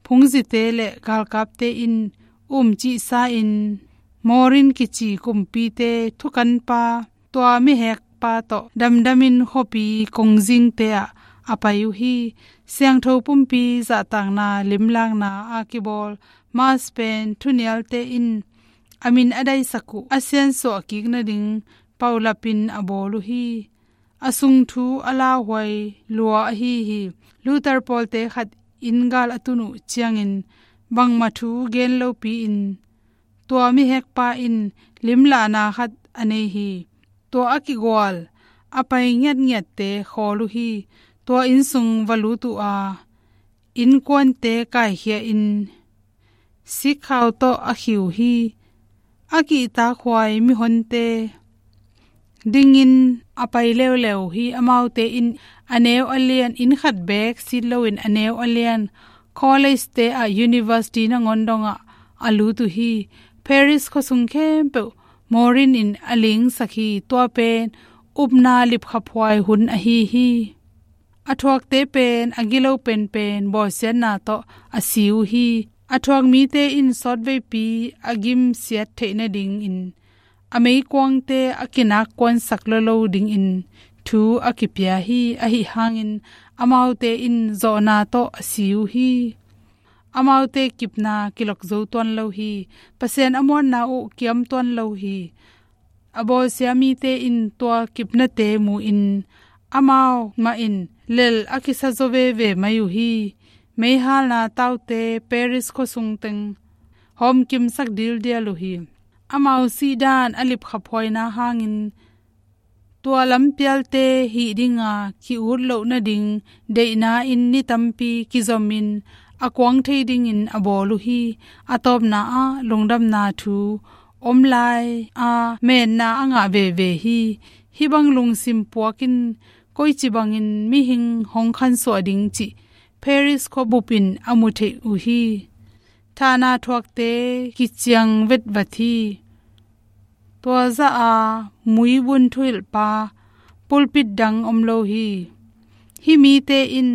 phungzite le galkapte in umcihsa in Morin kici kumpite thukanpa, tua mihek pa tawh damdamin khuapi kongzingte ah a pai uh hi. Siangtho pumpi zahtakna limlakna a kibawl Mass pen thunialte in a min a daisak uh a siansuah kik nading paulapin a bawl uh hi. A sung thu a lauhuai lua ahi hi. Luther pawlte khat inn gal a tun uh ciangin bangmah thu gen lopi-in tua mihekpa in limlahna khat a nei hi. Tua a kigual a pai ngiatngiatte khawl uh hi. Tua inn sung va lut uh a, innkuante kaikhia-in sikkhau tawh a khiu hi. A kihtakhuai mihonte dingin a pai leuleu hi. Amaute in a neu a lian, inn khat beek sit loin a neu a lian college-te ah, university nangawn dongah a lut uh hi. Paris khuasung khempeuh Morin in a lingsak hi. Tua pen upna lipkhaphuai hun ahi hi. A thuakte pen a gilo penpen bawlsiatna tawh a si uh hi. A thuak mite in sawtveipi a gimsiat theih nadingin a meikuangte a kinakkuansak lolo dingin thu a kipia hi. Ahi hangin amaute in zawhna tawh a si uh hi. Amaute kipna kilok zo tuan lo hi. Pasian a muanna uh kiam tuan lo hi. A bawlsia mite in tua kipnate mu-in amau mah in lel a kisa zaw veve mai uh hi. Meihalna taute Paris khuasung teng hawmkimsak dildial uh hi. Amau sihdan a lipkhaphuaina hangin tua lampialte hih dinga ki-ut loh nading deihna in ni tampi kizomin a kuang thei dingin a bawl uh hi. A tawpna ah lungdamna thu om lai a menna a ngah veve hi. Hih bang lungsim puak in koici bangin mihing hong khansuah ding cih Paris khuabup in a mu theih uh hi. Thahna thuakte kiciang vetvat hi. Tua zah a muibun thuhilhpa pulpit dang om lo hi. Hih mite in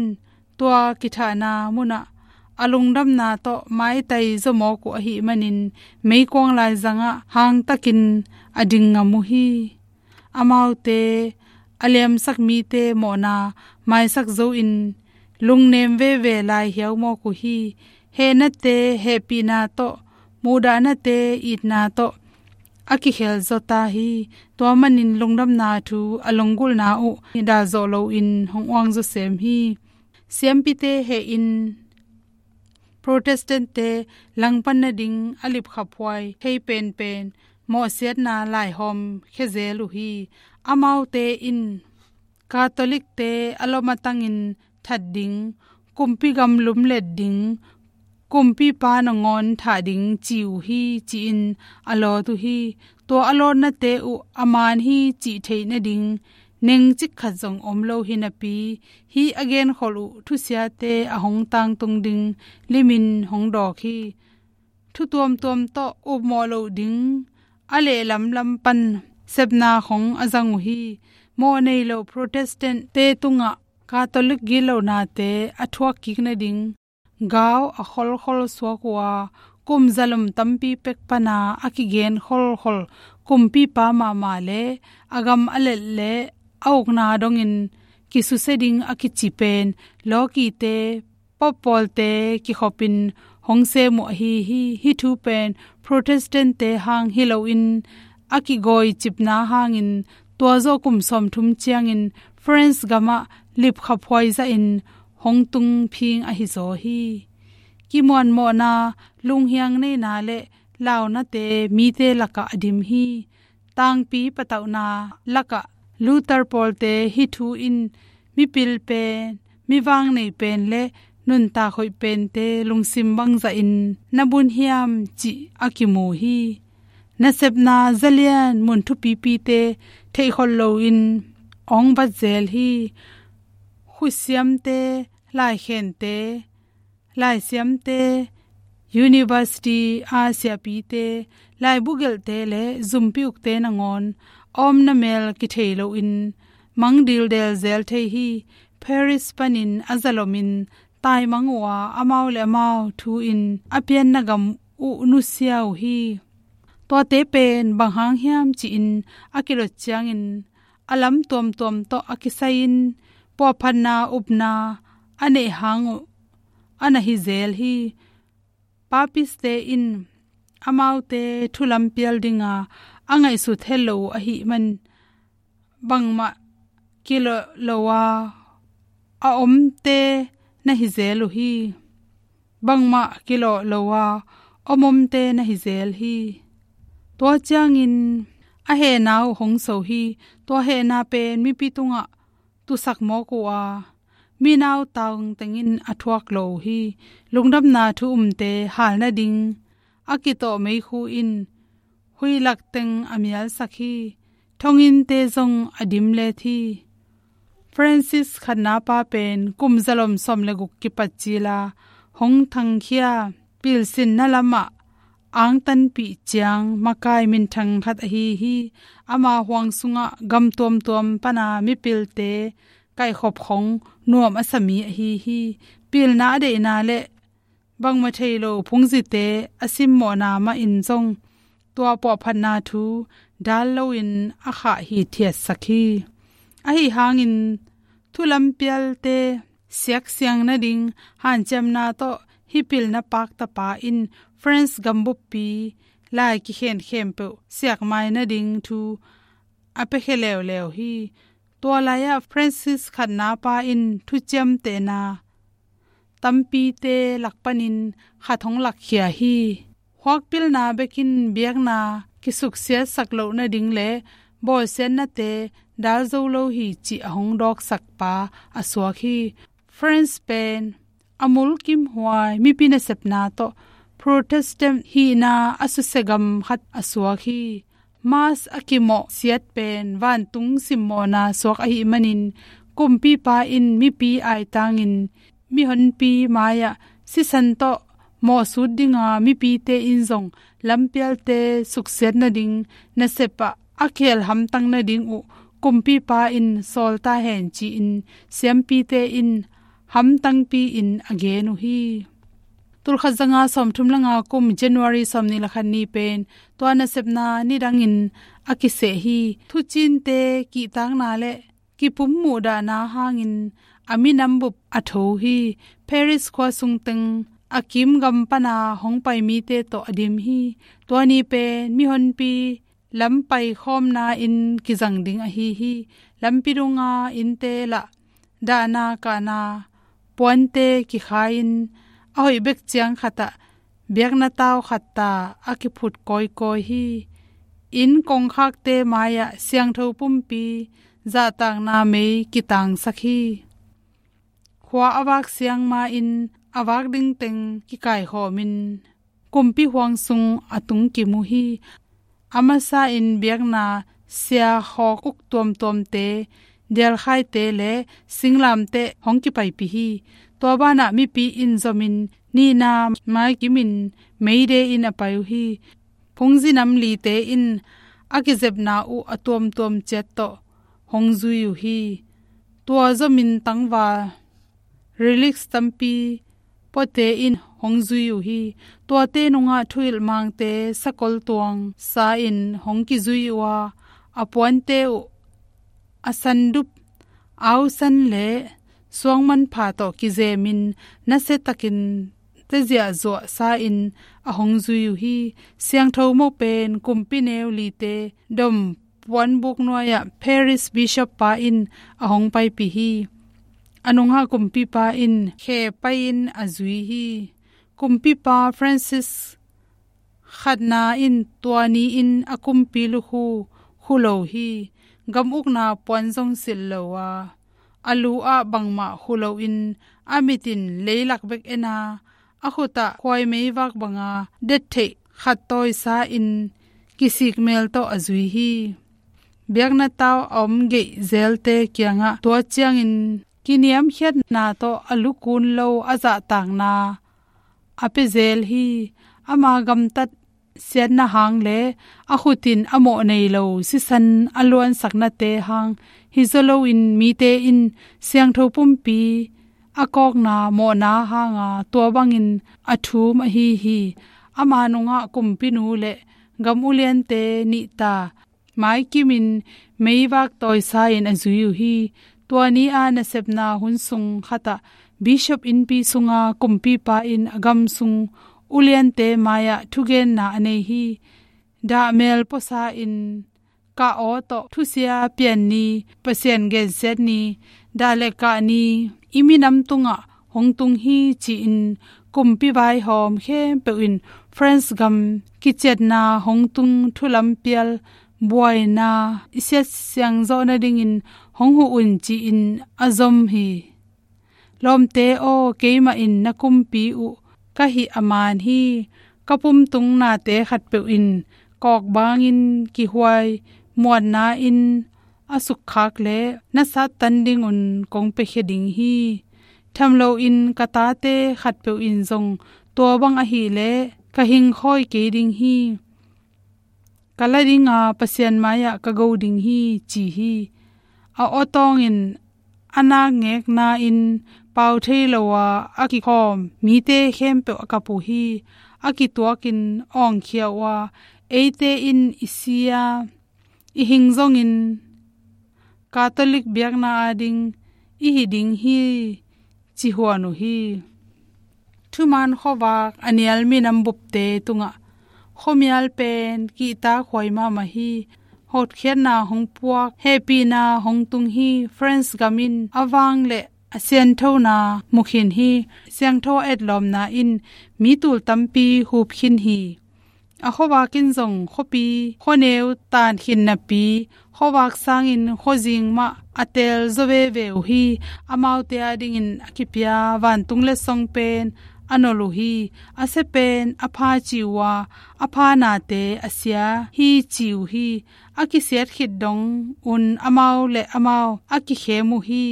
tua kithahna munah a lungdamna tawh maitai zaw mawk uh ahih manin meikuang laizangah hangtakin a ding ngam uh hi. Amaute a liamsak mite mawhna maisak zo-in lungnem veve lai hiau mawk uh hi. Hehnate hehpihna tawh, muhdahnate itna tawh a kikhel zaw ta hi. Tua manin lungdamna thu a lunggulhna uh dalzawh loin hong uang zawsem hi. Siampite hehin Protestant-te langpan nading a lipkhaphuai thei penpen mawhsiatna laihawm khia zel uh hi. Amaute in Catholic-te a lawm a tangin that ding, kumpi gam lumlet ding, kumpipa nangawn thah ding ci uh hi, ci-in a lawt uh hi. Tua a lawtnate uh a man hi cih theih nading nengcik khat zong om lo hi napi, hih a genkholh uh thusiate a hong tangtung ding limin hong dawk hi. Thu tuamtuam tawh upmawh loh ding a lehlamlam pan sepna khong a zang uh hi. Mawh nei lo Protestant-te tungah Catholic gitlohnate a thuak kik nading gau a kholkhol suak uh a, kum zalom tampi pek pana a kigen kholkhol kumpipa mahmah le a gam a let le a ukna dongin kisusia ding a kici pen lawkite, pope pawlte kikhopin hong sem uh ahi hi. Hih thu pen Protestant-te hang hi loin a kigawicipna hangin tua zawh kum sawmthum ciangin France gamah lipkhaphuai zahin hong tung phing ahi zaw hi. Kimuanmawhna, lunghiang neina le launate mite lakah a dim hi. Tangpi patauhna lakah Luther pawlte hih thu in mipil pen, mi vangnei pen le nuntak hoih pente lungsim bangzahin na bun hiam cih a kimu hi. Nasepna zalian mun thupipite theihkholh loin hong vat zel hi. Khutsiamte, laikhente, laisiamte, university a siapite, laibu gelhte le zumpi ukte nangawn a omna mel kithei loin mang dildel zel thei hi. Paris panin a zalomin taimang uh a, amau le amau thu-in a pianna gam uh nusia uh hi. Tuate pen bang hang hiam ci-in a kilot ciangin a lam tuamtuam tawh a kisai-in puahphatna upna a neih hang uh a na hi zel hi. Papiste in amaute thu lampial dinga a ngaihsut het lo uh ahih man bangmah kilawh lo a a omte na hi zel uh hi. Bangmah kilawh lo a om omte na hi zel hi. Tua ciangin a hehna uh hong so hi. Tua hehna pen mipi tungah tusak mawk uh a, mi nautang tengin a thuak lo uh hi. Lungdamna thu umte hal nading a kitawh meikhu in huihlak teng a mialsak hi. Thonginte zong a dim let hi. Francis khatna pa pen kum zalom sawm le guk kipat cila hong thangkhia pilsinna lamah angtanpih ciang makai minthang khat ahi hi. Ama huang sungah gam tuamtuam pana mipilte kaihkhop khong nuam a sa mi ahi hi. Pilna a deihna le bangmah thei lo phungzite a simmawhna mah in zong tua puahphatna thu dal loin a khah hithiatsak hi. Ahi hangin thu lampialte siaksiang nading hanciamna tawh hih pilna paktapa in French gambuppi lai kikhen khempeuh siakmai nading thu a piakhia leuleu hi. Tua lai-ah Francis khatna pa in thuciamtehna tampite lak panin khat hong lakkhia hi. Huakpilna bekin biakna kisuksiatsak loh nading le bawlsiatnate dal zo lo hi cih a hong dawksak pa a suak hi. French pen a mulkimhuai mipi nasepna tawh Protestant hihna a susia gam khat a suak hi. Mass a kimawh siat pen vantung simmawhna suak ahih manin kumpipa in mipi aitangin mihonpi mai-ah sisan tawh mawhsut dinga mipite in zong lampialte suksiat nading nasepah a khel hamtang nading uh kumpipa in sawl ta hen ci-in siampite in hamtangpi-in a gen uh hi. Tulkhat zanga sawmthum le nga kum January sawmnih le khat ni pen tua nasepna nidangin a kiseh hi. Thucinte kihtakna le kipum muhdahna hangin a minam bup a tho hi. Paris khua sungteng a kim gam pana hong pai mite tawh a dim hi. Tua ni pen mihonpi lam paikhawmna in kizang ding ahi hi. Lampi dunga innte lah dahna kahna puante kikhai-in a hoih bek ciang khatah biakna tau khatta a kiphut kawikawi hi. Inn kongkhakte mai-ah siangtho pumpi zahtakna mei kitangsak hi. Khua a vak siang ma-in a vak ding teng kikaikhawmin kumpi huang sung a tungkim uh hi. A masa-in biakna sia hawk uk tuamtuamte, dialkhaite le singlamteh hong kipaipih hi. Tua banah mipi in zomin nihna maikimin meide in a pai uh hi. Phungzi nam lite in a kizepna uh a tuamtuam ciat tawh hong zui uh hi. Tua zomin tangval relics tampi puate in hong zui uh hi. Tuate nungah thuhilhmangte sakol tuang sa-in hong kizui uh a, a puante uh a sandup, ausan le suangmanpha tawh kizemin nasiatakin teziahzuah sa-in a hong zui uh hi. Siangtho mopen kumpi neu lite dom puanbuk nuai-ah Paris Bishop pa in a hong paipih hi. A nungah kumpipa in khe pai-in a zui hi. Kumpipa Francis khatna in tua ni-in a kumpi lukhu khu lo hi. Gam ukna puan zong silh lo a, a lu ah bangmah khu loin a mitin leilak bek en a, a khutah khuai meivak banga det theih khat tawisa-in kisik mel tawh a zui hi. Biakna tau a om geih zelte kiangah tua ciangin kiniamkhiatna tawh a lukun lo a zahtakna a pia zel hi. Ama gamtat siatna hang le a khutin a mawh nei lo sisan a luansaknate hang hi zaw loin mite in siangtho pumpi a kawkna mawhna hanga tua bangin a thum ahi hi. Ama nungah kumpinu le gam uliante nihta maikimin meivak tawisa-in a zui uh hi. Tua ni-a nasepna hun sung khatah Bishop innpi sunga kumpipa in a gam sung uliante mai-ah thugenna a nei hi. Dah mel puasa-in kah aw tawh thusia pian ni, Pasian gensiat ni, dah le kah ni, i minam tungah hong tung hi ci-in kumpi vaihawm khempeuh in France gam kiciatna hong tung thu lampial buaina i siatsiang zawh nadingin hong huh un ci-in a zom hi. Lawmte aw, keimah in na kumpi uh ka hih a man hi. Ka pumtung nate khatpeuh in kawkbangin kihuai muanna in a sukkhak leh na sattan dingun kong piakhia ding hi. Tham loin ka tate khatpeuh in zong tua bang ahih leh ka hingkhawi kei ding hi. Ka la dinga Pasian mai-ah ka go ding hi ci hi. A awtawngin a nakngekna in pau thei lo a a kikhawm mite khempeuh a kap uh hi. A kituakin awngkhia uh a, eite in i si a, i hing zongin Catholic biakna ading i hi ding hi ci huan uh hi. Thuman khuavak a nial minam bupte tungah khuamial pen kihtakhuai mahmah hi. Hotkhiatna hong puak, hehpihna hong tung hi. France gam in a vang le a sianthona mu khin hi. Siangtho a etlawmna in mi tul tampi hup khin hi. A khuavak in zong khuapi khuaneu tan khin napi, khuavak sangin khuazing mah a teel zaw veve uh hi. Amaute adingin a kipia vantung letsong pen a nolh uh hi. A sia pen a pha ci uh a, a pha nate a sia hi ci uh hi. A kisiat khit dong un amau le amau a kikhem uh hi.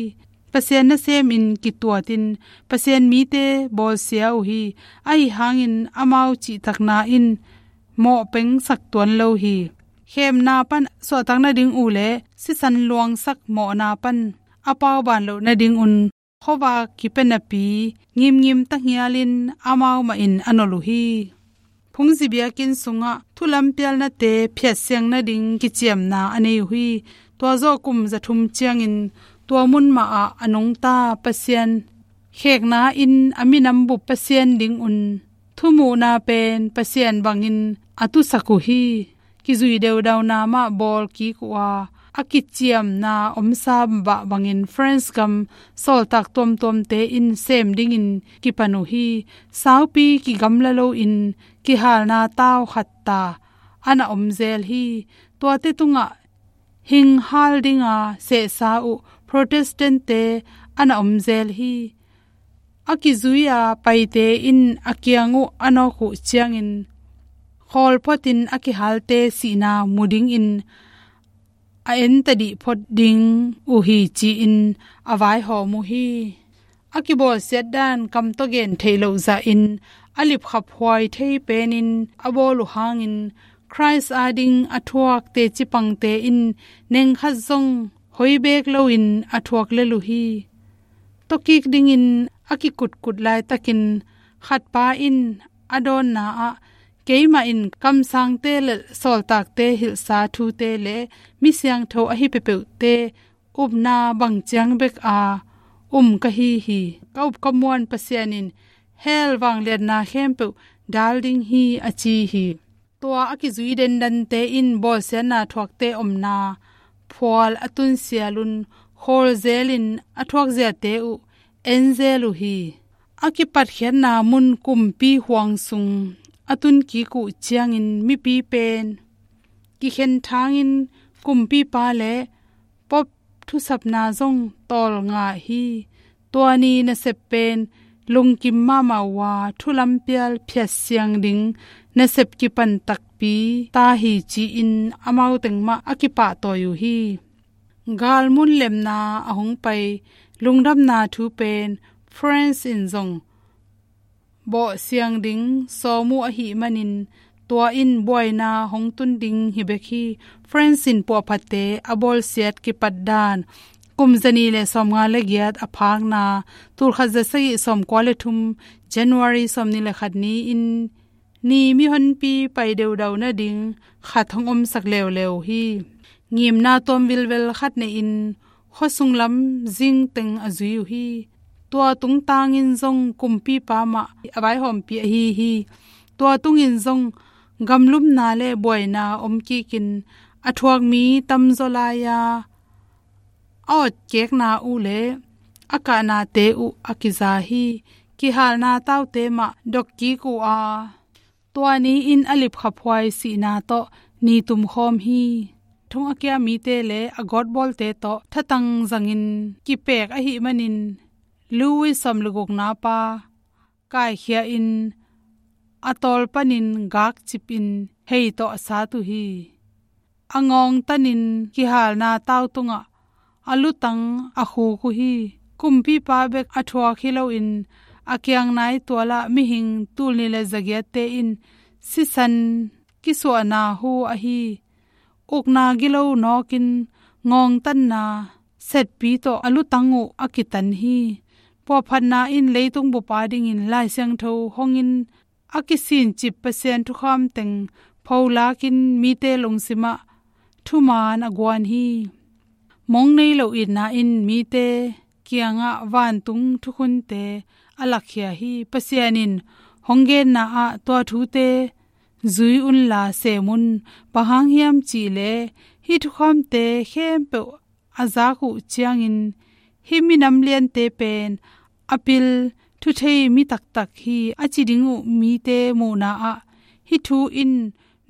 Pasian nasemin kituatin Pasian mite bawlsia uh hi. Ahi hangin amau cihtakna in mawh pengsak tuan lo hi. Khemna pan suahtak nading uh le sisan luangsak mawhna pan a pauban loh nadingun khuavak kipia napi ngimngim tanghialin amau mahin a nolh uh hi. Phungzi biakinn sungah thu lampialnate phiatsiang nading kiciamna a nei uh hi. Tua zawh kum za thum ciangin tua mun mahah a nungta Pasian khekna in a minam bup Pasian dingun thumuhna pen Pasian bangin a tusak uh hi. Kizui deudauna mah bawl kik uh a, a kiciamna omsa bah bangin France gam sawltak tuamtuamte in sem dingin kipan uh hi. Saupi kigamla loin kihalna tau khat ta a na om zel hi. Tuate tungah hinghal dinga sehsa uh Protestant-te a na om zel hi. A kizui-a paite in a kiang uh a nawk uh ciangin khawlphotin a kihalte sihna mu dingin a entadih phot ding uh hi ci-in a vaihawm uh hi. A kibawlsiat dan kam tawh gen theih loh zahin a lipkhaphuai thei penin a bawl uh hangin Khrist ading a thuak teci pangte in nengkhat zong hoi beek loin a thuak lel uh hi. Tawkik dingin a kikutkut laitakin khatpa in a dawnna ah, keimah in kamsangte le sawltakte hilhsa thute le mi siangtho ahi peuhpeuhte upna bang ciang bek a um ka hi hi. Ka up ka muan Pasian in hell vangliatna khempeuh dal ding hi a ci hi. Tua a kizui dendante in bawlsiatna thuakte omna phual a tunsialun khawl zelin a thuakziate uh en zel uh hi. A kipatkhiatna mun kumpi huang sung a tunkik uh ciangin mipi pen kikhen thangin kumpipa le pop thusapna zong tawlnga hi. Tua ni nasep pen lungkim mahmah uh a, thu lampial phiatsiang ding nasep kipan takpi ta hi ci-in amau teng mah a kipahtawi uh hi. Galmun lemna a hong pai lungdamna thu pen France in zong bawhsiang ding sawm uh ahih manin tua in buaina hong tun ding hi bek hi. France in puahphatte a bawlsiat kipat dan kum zani le sawmnga le giat a phakna tulkhat zasagih sawmkua le thum January sawmnih le khat ni-in ni mihonpi pai deudau nading khat hong omsak leuleu hi. Ngimna tuam vilvel khat nei-in khuasung lam zingteng a zui uh hi. Tua tungtangin zong kumpipa mah a vaihawmpi ahi hi. Tua tungin zong gamlumna le buaina om kikin a thuak mi tamzaw lai-a a otkekna uh le a kahnate uh a kiza hi. Kihalna taute mah dok kik uh a, tua ni-in a lipkhaphuai sihna tawh ni tumkhawm hi. Thong a kia mite le a gawtbawlte tawh thatang zangin kipek ahih manin Louis sawm le gukna pa kaikhia-in a tawl panin gakcipin hei tawh a sat uh hi. A ngawngtanin kihalna tau tungah a lutang a khuk uh hi. Kumpipa bek a thuak hi loin a kiang nai tualah mihing tulni le zagiatte in sisan kisuahna hu ahi. Ukna gilo nawkin ngawngtanna setpi tawh a lutang uh a kitan hi. Puahphatna in leitung bup adingin Lai Siangtho hongin a kisincip Pasian thukham teng pholakin mite lungsimah thuman a guan hi. Mong nei lo itna in mite kiangah vantung thukhunte a lakkhia hi. Pasian in hong genna ah tua thute zui unla sem un, bang hang hiam cihleh hih thukhamte khempeuh a zak uh ciangin hih minam liante pen a pil thuthei mi taktak hi a ci ding uh mite muhna ah hih thu in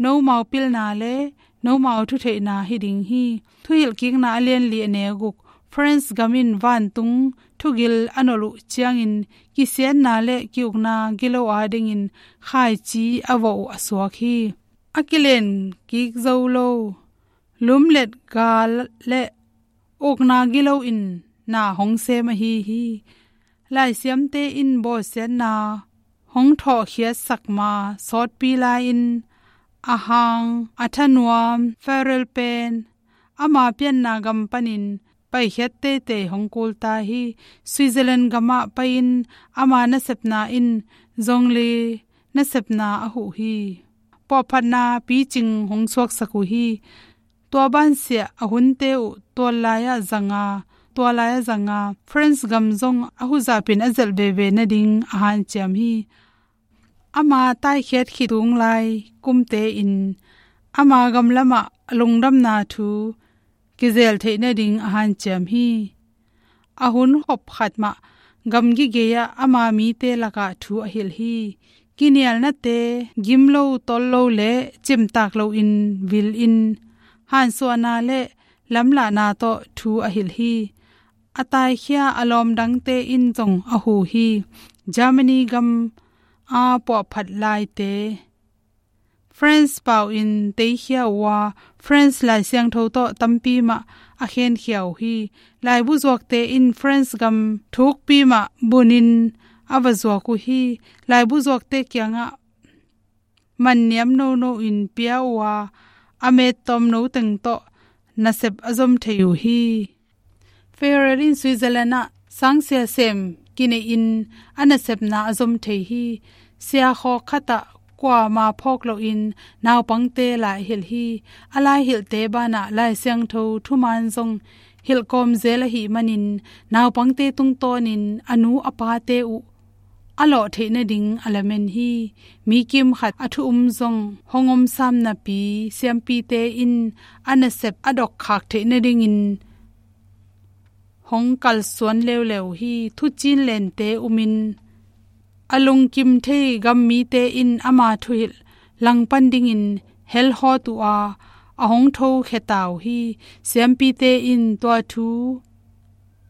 nomau pilna le nomau thutheihna hi ding hi. Thuhilhkikna a lianli a neu guk. France gam in vantung thugil a nolh uh ciangin kisiatna le kiukna gilo adingin khaici a vawh uh a suak hi. A kilen kik zo lo lumlet gal le ukna gilo in na hong sem ahi hi. Laisiamte in bawlsiatna hong thawhkhiatsak ma sawtpi lai-in a hang a thanuam Farel pen ama pianna gam panin paikhiat teitei hong kulta hi. Switzerland gamah pai-in ama nasepna in zongli nasepna a huh hi. Puahphatna picing hong suaksak uh hi. Tua bansiah a hunte uh tual lai-ah zanga, tua lai-ah zanga France gam zong a huzapin a zelh veve nading a hanciam hi. Ama taikhiat khit tung lai kumte in ama gamlamah a lungdamna thu kizel theih nading a hanciam hi. A hun hop khat mah gamgi gei-ah ama mite lakah thu a hilh hi. Kinialnate gim lo, tol lo le cimtak loin vil in hansuahna le lamlahna tawh thu a hilh hi. A taikhia a lawmdangte in zong a hu hi. Germany gam a puahphat laite France pau in teikhia uh a, France Lai Siangtho tawh tampi mah a khenkhia uh hi. Laibu zuakte in France gam thukpi mah bunin a va zuak uh hi. Laibu zuakte kiangah manniam nono in pia uh a, a mettawm no teng tawh nasep a zom thei uh hi. Ferrer in Switzerland ah sangsia sem kinei-in a nasepna a zom thei hi. Siakhawk khatah kuama phawk loin naupangte lai a hilh hi. A lai hilhte banah Lai Siangtho thuman zong hilhkawm zel ahih manin naupangte tungtawnin a nu a pate uh a lawh theih nading a lamen hi. Mi kim khat a thu um zong hong om sam napi siampite in a nasep a dokkhak theih nadingin hong kalsuan leuleu hi. Thucin lente umin a lungkim thei gammite in ama thuhilh langpan dingin helhawt uh a, a hong tho kheta uh hi. Siampite in tua thu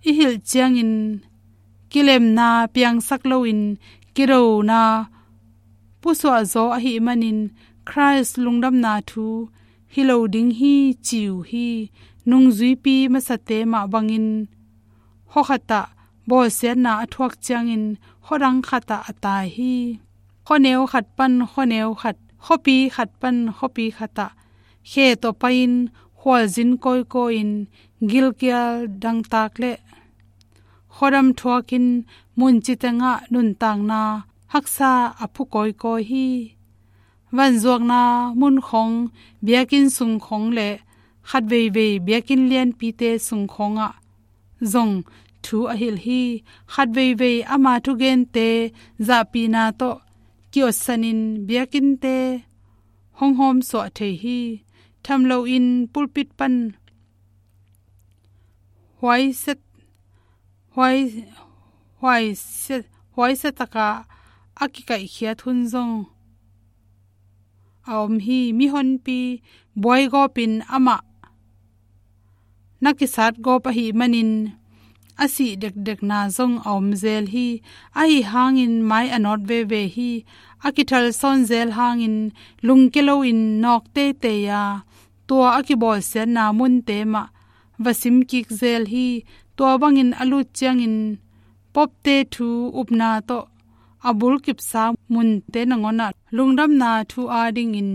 i hilh ciangin kilemna piangsak loin kidona pusuah zaw ahih manin Khrist lungdamna thu hi lo ding hi ci uh hi. Nungzuipi masate mah bangin khuakhatah bawlsiatna a thuak ciangin khuadang khatah a tai hi. Khuaneu khat pan khuaneu khat, khuapi khat pan khuapi khatah khe tawh pai-in khualzin kawikawi-in gilkial dangtak le khuadam thuakin munci tengah nuntakna haksa a phu kawikawi hi. Vanzuakna mun khawng, biakinn sung khawng le khatveivei biakinn lianpite sung khawngah zong thu a hilh hi. Khatveivei ama thugente zahpihna tawh ki-otsanin biakinnte hong hawmsuah thei hi. Tham loin pulpit pan huaisia, huai, huaisia, huaisia takah a kikaihkhiat hun zong a om hi. Mihonpi buaigawpin amah na kisat gawp ahih manin a sih dekdekna zong a om zel hi. Ahi hangin mai a nawt veve hi. A kithal sawn zel hangin lungke loin nawk teitei a, tua a kibawlsiatna munte mah va sim kik zel hi. Tua bangin a lut ciangin popte thu upna tawh a bulkipsa munte nangawnah lungdamna thu a dingin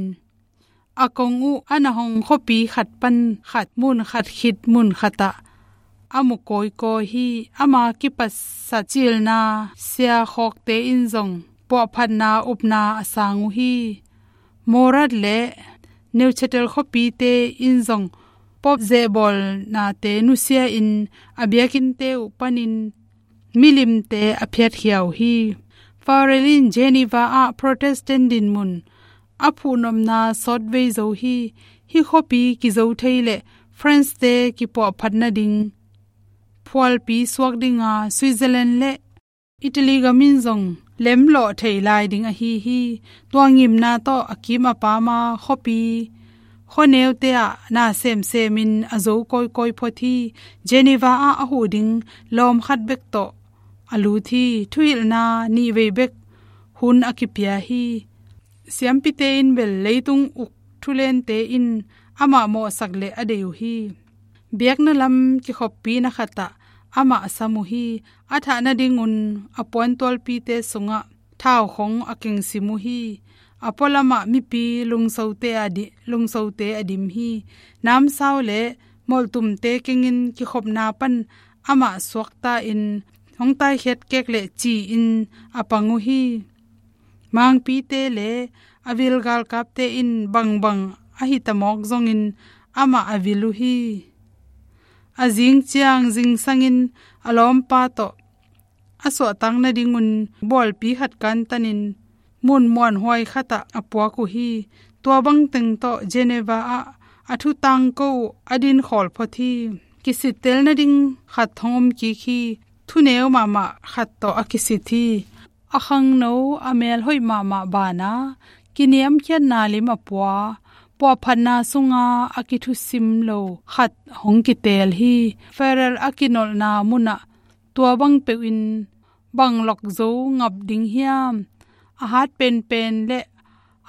a kong uh a na hong khuapi khat pan khat, mun khat khit mun khatah a mu kawikawi hi. Ama kipatsak cilna siakhawkte in zong puahphatna upna a sang uh hi. Morat le Neuchâtel khuapite in zong pop zehbawlnate nusia-in a biakinnte uh panin milimte a phiatkhia uh hi. Farel in Geneva ah Protestant dinmun a phuhnopna sawtvei zo hi. Hih khuapi kizo thei leh France-te kipuahphat nading phualpi suak dinga Switzerland le Italy gam in zong lemlawh theih lai ding ahi hi. Tua ngimna tawh a kim a pama khuapi khuaneute ah na semsemin a zo kawikawi phot hi. Geneva ah a huh ding lawm khat bek tawh a lut hi. Thuhilhna nihvei bek hun a kipia hi. Siampite in bel leitung uk thulente in amah mawhsak leh a deih uh hi. Biakna lam kikhoppina khatah amah a sam uh hi. A thah nadingun a puantualpite sungah thau khong a kengsim uh hi. A pualamah mipi lungsote a di-, lungsote a dim hi. Namsau le molhtumte kengin kikhopna pan amah suakta-in hong taikhiat kek leh ci-in a pang uh hi. Mangpite le a vil galkapte in bangbang a hita mawk zongin amah a vil uh hi. A zing ciang zingsangin a lawmpa tawh a suahtak nadingun bualpi khat kantanin mun muanhuai khatah a puak uh hi. Tua bangteng tawh Geneva ah a thu tangko uh a din khawl phot hi. Kisittel nading khat hong om kik hi. Thuneu mahmah khat tawh a kisit hi. A khangno, a mel hoih mahmah bana kiniamkhiatna lim a pua, puahphatna sunga a kithusim lo khat hong kiteel hi. Farel a kinolhna munah tua bang peuhin bang lok zo ngap ding hiam? A hat penpen le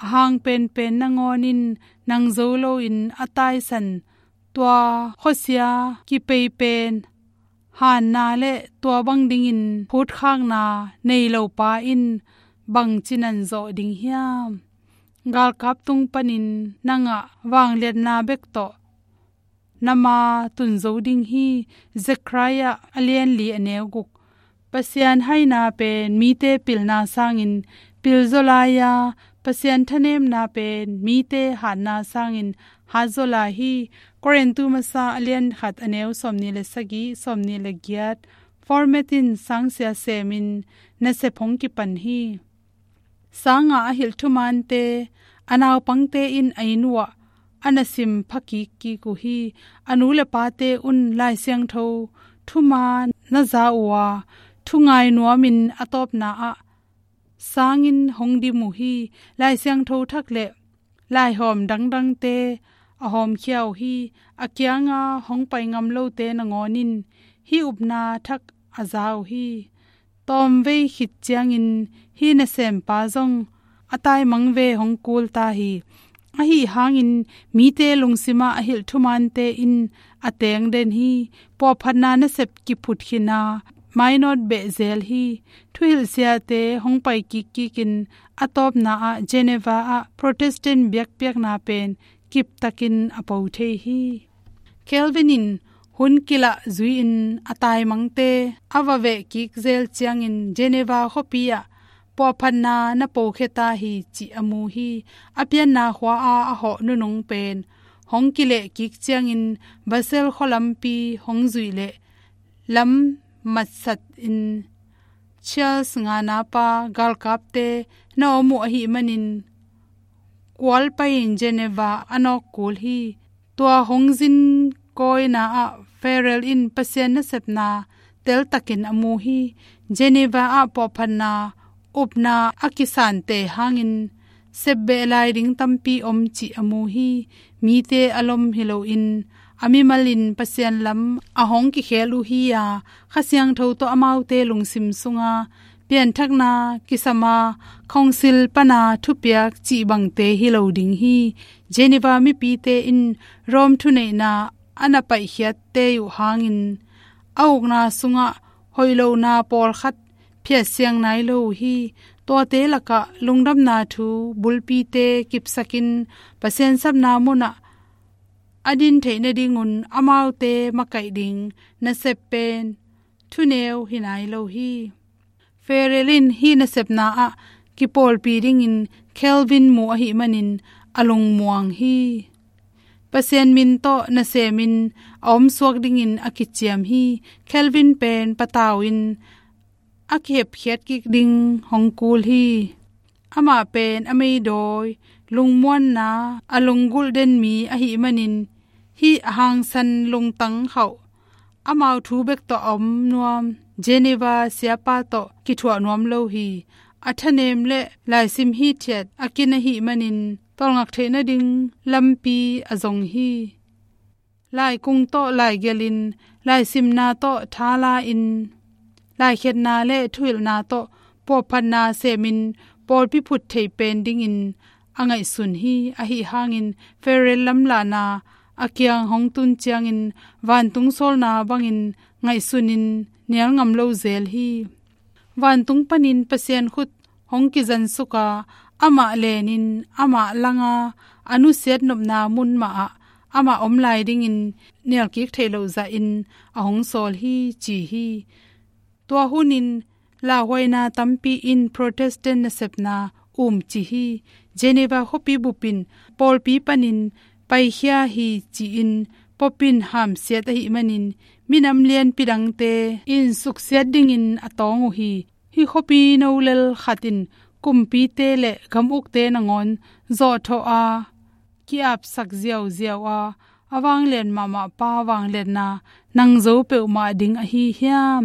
a hang penpen nangawnin nang zo loin a taisan tua khuasia kipei pen hanna le tua bang dingin phutkhakna nei lopa in bangci nan zawh ding hiam? Galkap tung panin nangah vangliatna bek tawh na ma tun zo ding hi. Zechariah a lianli a neu guk. Pasian haina pen mite pilna sangin pilzaw lai-a, Pasian thanemna pen mite hatna sangin hatzaw lai hi. Korintu masa a lian khat a neu sawmnih le sagih, sawmnih le giat. Format in sangsia semin nasep hong kipan hi. Sanga a hilh thumante, a naupangte in a inn uhah a na sim pha kikkik uh hi. A nu le pate un Lai Siangtho thuman na za uh a, thungai nuamin a tawpna ah sangin hong dim uh hi. Lai Siangtho thak le laihawm dangdangte a hawmkhia uh hi. A kianga hong pai ngam lote nangawnin hih upna thak a za uh hi. Tawmvei khit ciangin hih nasempa zong a taimang ve hong kul ta hi. Ahi hangin mite lungsimah a hilh thumante in a tengden hi. Puahphatna nasep kiphut khin a, mainawt beh zel hi. Thuhilh siate hong pai kikkikin a tawpna ah Geneva ah Protestant biakpiakna pen kiptakin a po thei hi. Calvin in hun kilah zui-in a taimangte a va veh kik zel ciangin Geneva khuapi ah puahphatna na pokhia ta hi cih a mu hi. A pianna khua-a a hawh nunung pen hong kileh kik ciangin Basel khualampi hong zuih leh lam matsatin Charles ngana pa galkapte na om uh ahih manin kual pai-in Geneva a nawk kul hi. Tua hong zin kawina ah Farel in Pasian nasepna teltakin a mu hi. Geneva ah puahphatna upna a kisante hangin sepbeh lai ding tampi om cih a mu hi. Mite a lom hi loin a mimalin Pasian lam a hong kikhel uh hi-a, Kha Siangtho tawh amaute lungsim sunga pianthakna kisama khongsil pana thupiak cih bangte hi lo ding hi. Geneva mipite in Rome thuneihna a na paihkhiatte uh hangin a ukna sungah hoih lohna pawlkhat phiatsiang nai lo uh hi. Tuate lakah lungdamna thu bulpite kipsakin Pasian sapna munah a din theih nadingun amaute makaih ding nasep pen thuneu hi nai lo hi. Farel in hih nasepna ah kipawlpi dingin Calvin mu ahih manin a lungmuang hi. Pasian min tawh nasemin a omsuak dingin a kiciam hi. Calvin pen patau in a kihepkhiat kik ding hong kul hi. Amah pen a meidawi, lungmuanna, a lunggulh den mi ahih manin hih a hangsan lungtang khauh amau thu bek tawh a om nuam, Geneva siapa tawh kithuah nuam lo hi. A thanem le laisim hithiat a kin ahih manin tawlngak theih nading lampi a zong hi. Laikung tawh laigelhin, laisimna tawh thala-in, laikhiatna le thuhilhna tawh puahphatna semin pawlpi phut thei pen dingin a ngaihsun hi. Ahi hangin Farel lamlahna a kiang hong tun ciangin vantung sawlna bangin ngaihsunin nial ngam lo zel hi. Vantung panin Pasian khut hong kizansuka, amah lenin amah langa a nusiat nopna mun mahah amah om lai dingin nialkik theih loh zahin a hong sawl hi, ci hi. Tua hunin lauhuaina tampi in Protestant nasepna um ci hi. Geneva khuapi bupin pawlpi panin paikhia hi ci-in Pope in hamsiat ahih manin minam lianpi dangte in suksiat dingin a tawng uh hi. Hih khuapi no lel khat in kumpite le gam ukte nangawn zawhthawh a, ki-apsak ziauziau a, a vanglian mahmah pa vangliatna nang zo peuhmah ding ahi hiam?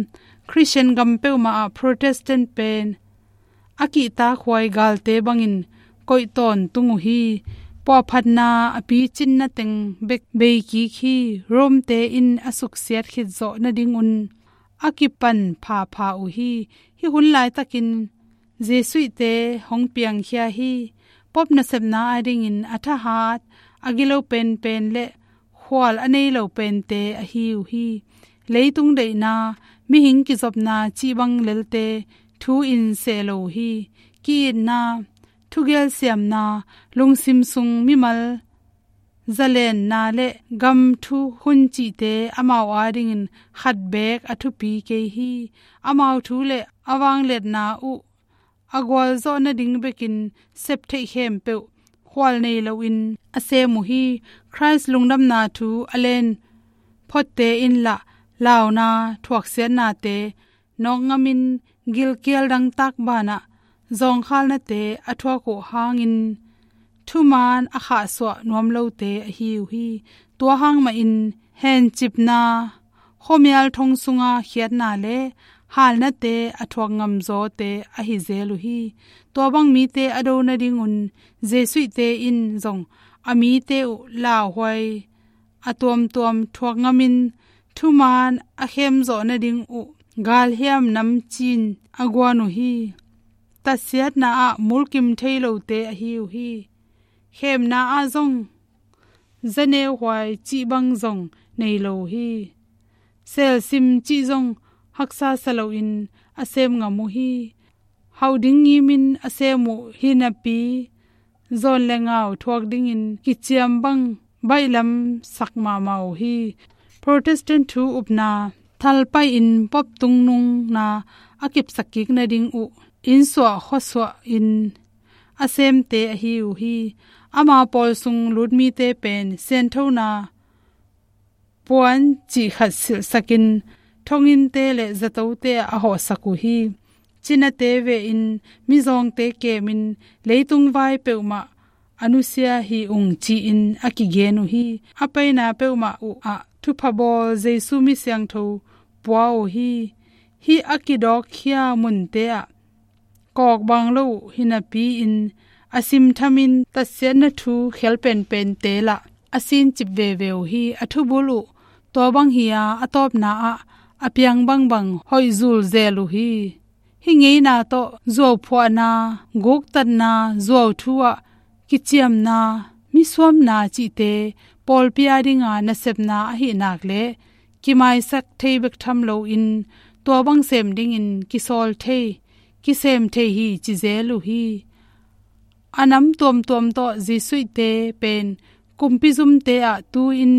Khristian gam peuhmah ah Protestant pen a kihtakhuai galte bangin koih tawntung uh hi. Puahphatna a picinna teng bek bei kik hi. Rome-te in a suksiat khit zawh nadingun a kipan phapha uh hi. Hih hun laitakin Jesuit-te hong piangkhia hi. Pope nasepna adingin a thahat, a gilo penpen le khual a nei lo pente ahi uh hi. Leitung deihna, mihing kizopna cih bang lelte thu in seh lo uh hi. Ki-itna, thugelsiamna, lungsim sung mimal zalenna le gam thu hun cihte amau adingin khat beek a thupi kei hi. Amau thu le a vangliatna uh a gualzawh nading bekin septheih khempeuh khual nei loin a sem uh hi. Khrist lungdamna thu a len photte in lah launa thuaksiatnate nawkngamin gilkial dangtak banah zawngkhalnate a thuak uh hangin thuman a khahsuah nuam lote ahi uh hi. Tua hang mahin hencipna, khuamial thong sunga khiatna le halnate a thuak ngamzawte ahi zel uh hi. Tua bang mite a do nadingun Jesuit-te in zong a mite uh lauhuai a tuamtuam thuak ngamin thuman a khemzawh nading uh galhiam namcin a guan uh hi. Tatsiatna ah mulkim thei lote ahi uh hi. Khemna ah zong zaneuhuai cih bang zong nei lo uh hi. Selsim cih zong haksa sa loin a sem ngam uh hi. Hauh ding ngimin a sem uh hi napi, zawn le ngau thuak dingin kiciam bang baihlam sak mahmah uh hi. Protestant thu upna thalpai-in Pope tungnungna a kipsak kik nading uh innsuah khuasuah in a semte ahi uh hi. Ama pawl sung lut mite pen sianthona puan cih khat silhsakin thonginnte le zatote ah a hawhsak uh hi. Cinate vehin mizawngte kemin leitung vai peuhmah a nusia hi ung ci-in a kigen uh hi. A paina peuhmah uh ah thupha bawl Jesu mi siangtho pua uh hi. Hih a kidawkkhia munte ah kawkbang lo uh hi napi-in a simthamin tatsiatna thu khel penpente lah a sincip veve uh hi. A thubul uh tua bang hi-a a tawpna ah a piang bangbang hoih zul zel uh hi. Hih ngeina tawh zuauphuahna, guktatna, zuauthu ah kiciamna, misuamna cihte pawlpi a dinga nasepna ahih nak leh kimaisak thei bek tham loin tua bang sem dingin kisawl thei, kisem thei hi ci zel uh hi. A nam tuamtuam tawh Jesuitte pen kumpi zumte ah tu-in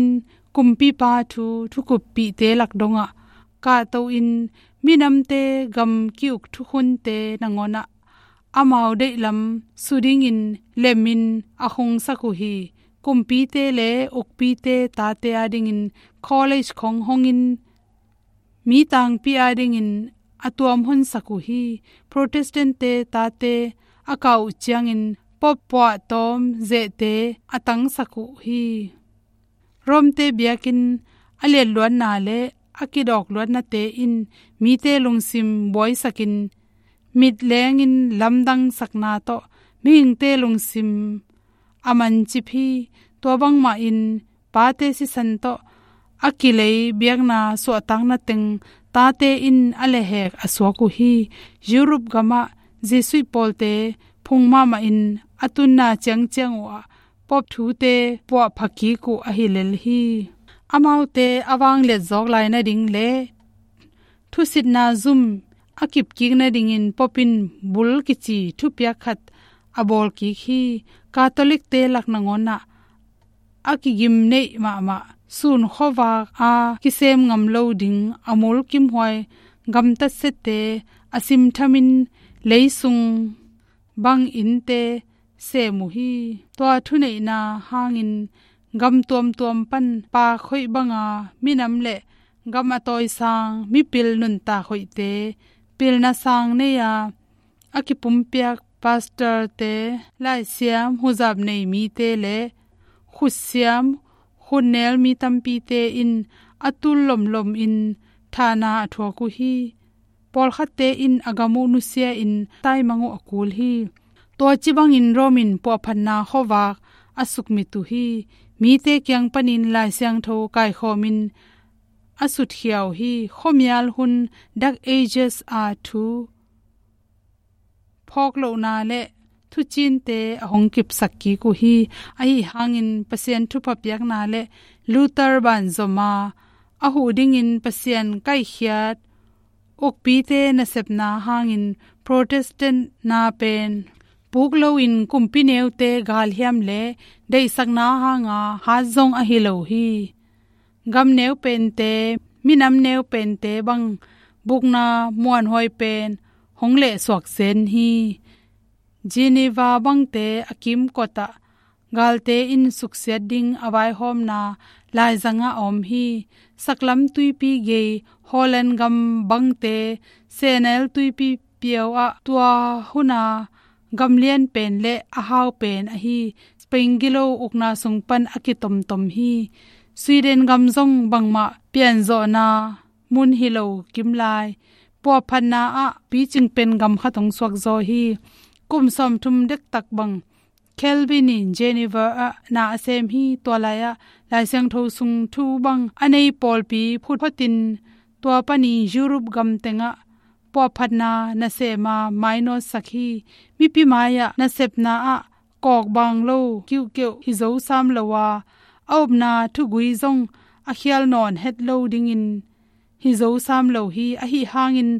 kumpipa thu thukuppihte lak dongah kahto-in minamte gam ki-uk thukhunte nangawnah amau deihlam su dingin lemin a khungsak uh hi. Kumpite le ukpite tate a dingin college khong hongin mi tangpi a dingin a tuam honsak uh hi. Protestant-te tate a kah uh ciangin Pope puahtawm zehte a tangsak uh hi. Rome-te biakinn a liatluatna le a kidawkluatnate in mite lungsim buaisakin mitlengin lamdangsakna tawh mihingte lungsim a mancip hi. Tua bangmahin pate sisan tawh a kilei biakna suahtakna teng tate in a lehhek a suak uh hi. Europe gamah Jesuit pawlte phung mahmahin a tunna ciangciang uhah Pope thute puahpha kik uh ahi lel hi. Amaute a vangliat zawk lai nading le thusitna zum a kipkik nadingin Pope in bull kici thupiak khat a bawlkik hi. Catholic-te lak nangawnah a kigimneih mahmah sun khuavak a kisem ngam lo ding a mulkimhuai gamtatsiatte a simthamin leisung bang innte sem uh hi. Tua thuneihna hangin gam tuamtuam pan paak hoih banga minam le gam a tawisang mipil nuntak hoihte pilna sang nei-a a kipumpiak pastor-te, laisiam huzap nei mite le khutsiam khutnel mi tampite in a tul lomlomin thahna a thuak uh hi. Pawlkhatte in a gam uh nusia-in taimang uh a kul hi. Tua ci bangin Rome in puahphatna khuavak a sukmit uh hi. Mite kiang panin Lai Siangtho kaikhawmin a sutkhia uh hi. Khuamial hun Dark Ages a thu phawk lohna le thucinte a hong kipsak kik uh hi. Ahi hangin Pasian thupha piakna le Luther banzom a a huh dingin Pasian kaihkhiat ukpite nasepna hangin Protestant na pen puk loin kumpi neute galhiam le deihsakna hanga hat zong ahi lo hi. Gam neu pente, minam neu pente bang bukna muanhuai pen hong lehsuak zen hi. Geneva bangte a kimkotah galte in suksiat ding a vaihawmna laizangah a om hi. Saklam tuipi gei Holland gam bangte Senel tuipi piau ah tua huna gamlian pen le a hau pen ahi Spain gilo ukna sung pan a kitomtom hi. Sweden gam zong bangmah pianzawhna mun hi lo kimlai puahphatna ah picing pen gam khat hong suakzaw hi. Kum sawmthum dektak bang Calvin in Geneva ah na a sem hi. Tua lai-ah Lai Siangtho sung thu bang a nei pawlpi phutphotin tua panin Europe gam tengah puahphatna nasema mainawtsak hi. Mipi mai-ah nasepna ah kawkbang lo kiuhkeuh hi zo sam lo a, a upna thugui zong a khial nawn het lo dingin hi zo sam lo hi. Ahi hangin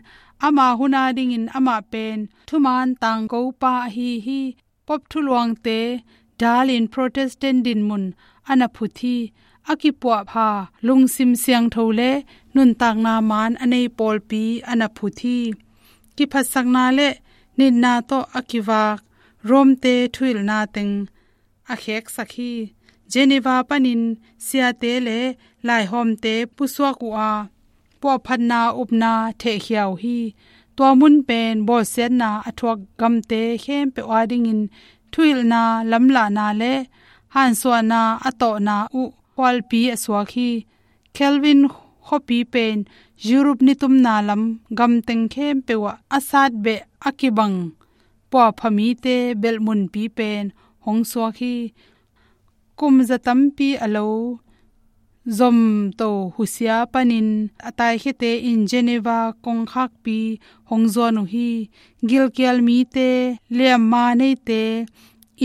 ama hun a dingin amah pen thuman tangkopa ahi hi. Pope thuluangte dalin Protestant dinmun a na phut hi. A kipuahpha lungsim siangtho le nuntakna maan a nei pawlpi a na phut hi. Kiphatsakna le nitna tawh a kivak Rome-te thuhilhna teng a kheksak hi. Geneva panin siate le laihawmte pusuak uh a, puahphatna upna thehkhia uh hi. Tua mun pen bawlsiatna a thuak gamte khempeuh adingin thuhilhna, lamlahna le hansuahna a tawhna uh khualpi a suak hi. Calvin khuapi pen Europe nitumna lam gamteng khempeuh ah a satbeh a kibang puapha mite belhmunpi pen hong suak hi. Kum za tampi a lo zomto husia panin a taikhiate in Geneva kongkhakpi hong zuan uh hi. Gilkial mite, liamma neite,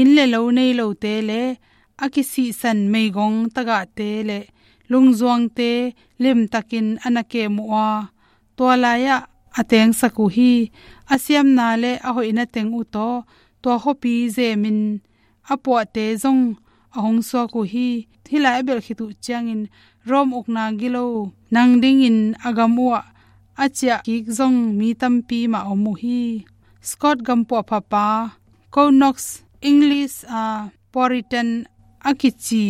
inn le lo nei lote le a kisihsan meigong tagahte le lungzuangte limtakin a na kem uh a, tua lai-ah a tengsak uh hi. A siamna le a hoihna teng uh tawh tua khuapi zemin a puahte zong a hong suak uh hi. Hih lai a belh khit uh ciangin Rome ukna gilo nang dingin a gam uhah a ciah kik zong mi tampi mah om uh hi. Scot gam puahphapa Conox English a Puritan a kici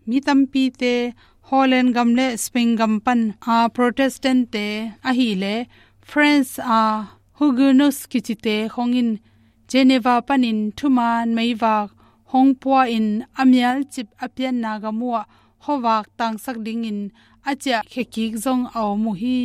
mi tampite Holland gam le Spain gam pan a Protestant-te ahih leh France a Huguenots kicite khong in Geneva panin thuman meivak hong pua-in a mialcip a pianna gam uhah khuavak tangsak dingin a ciahkhia kik zong a om uh hi.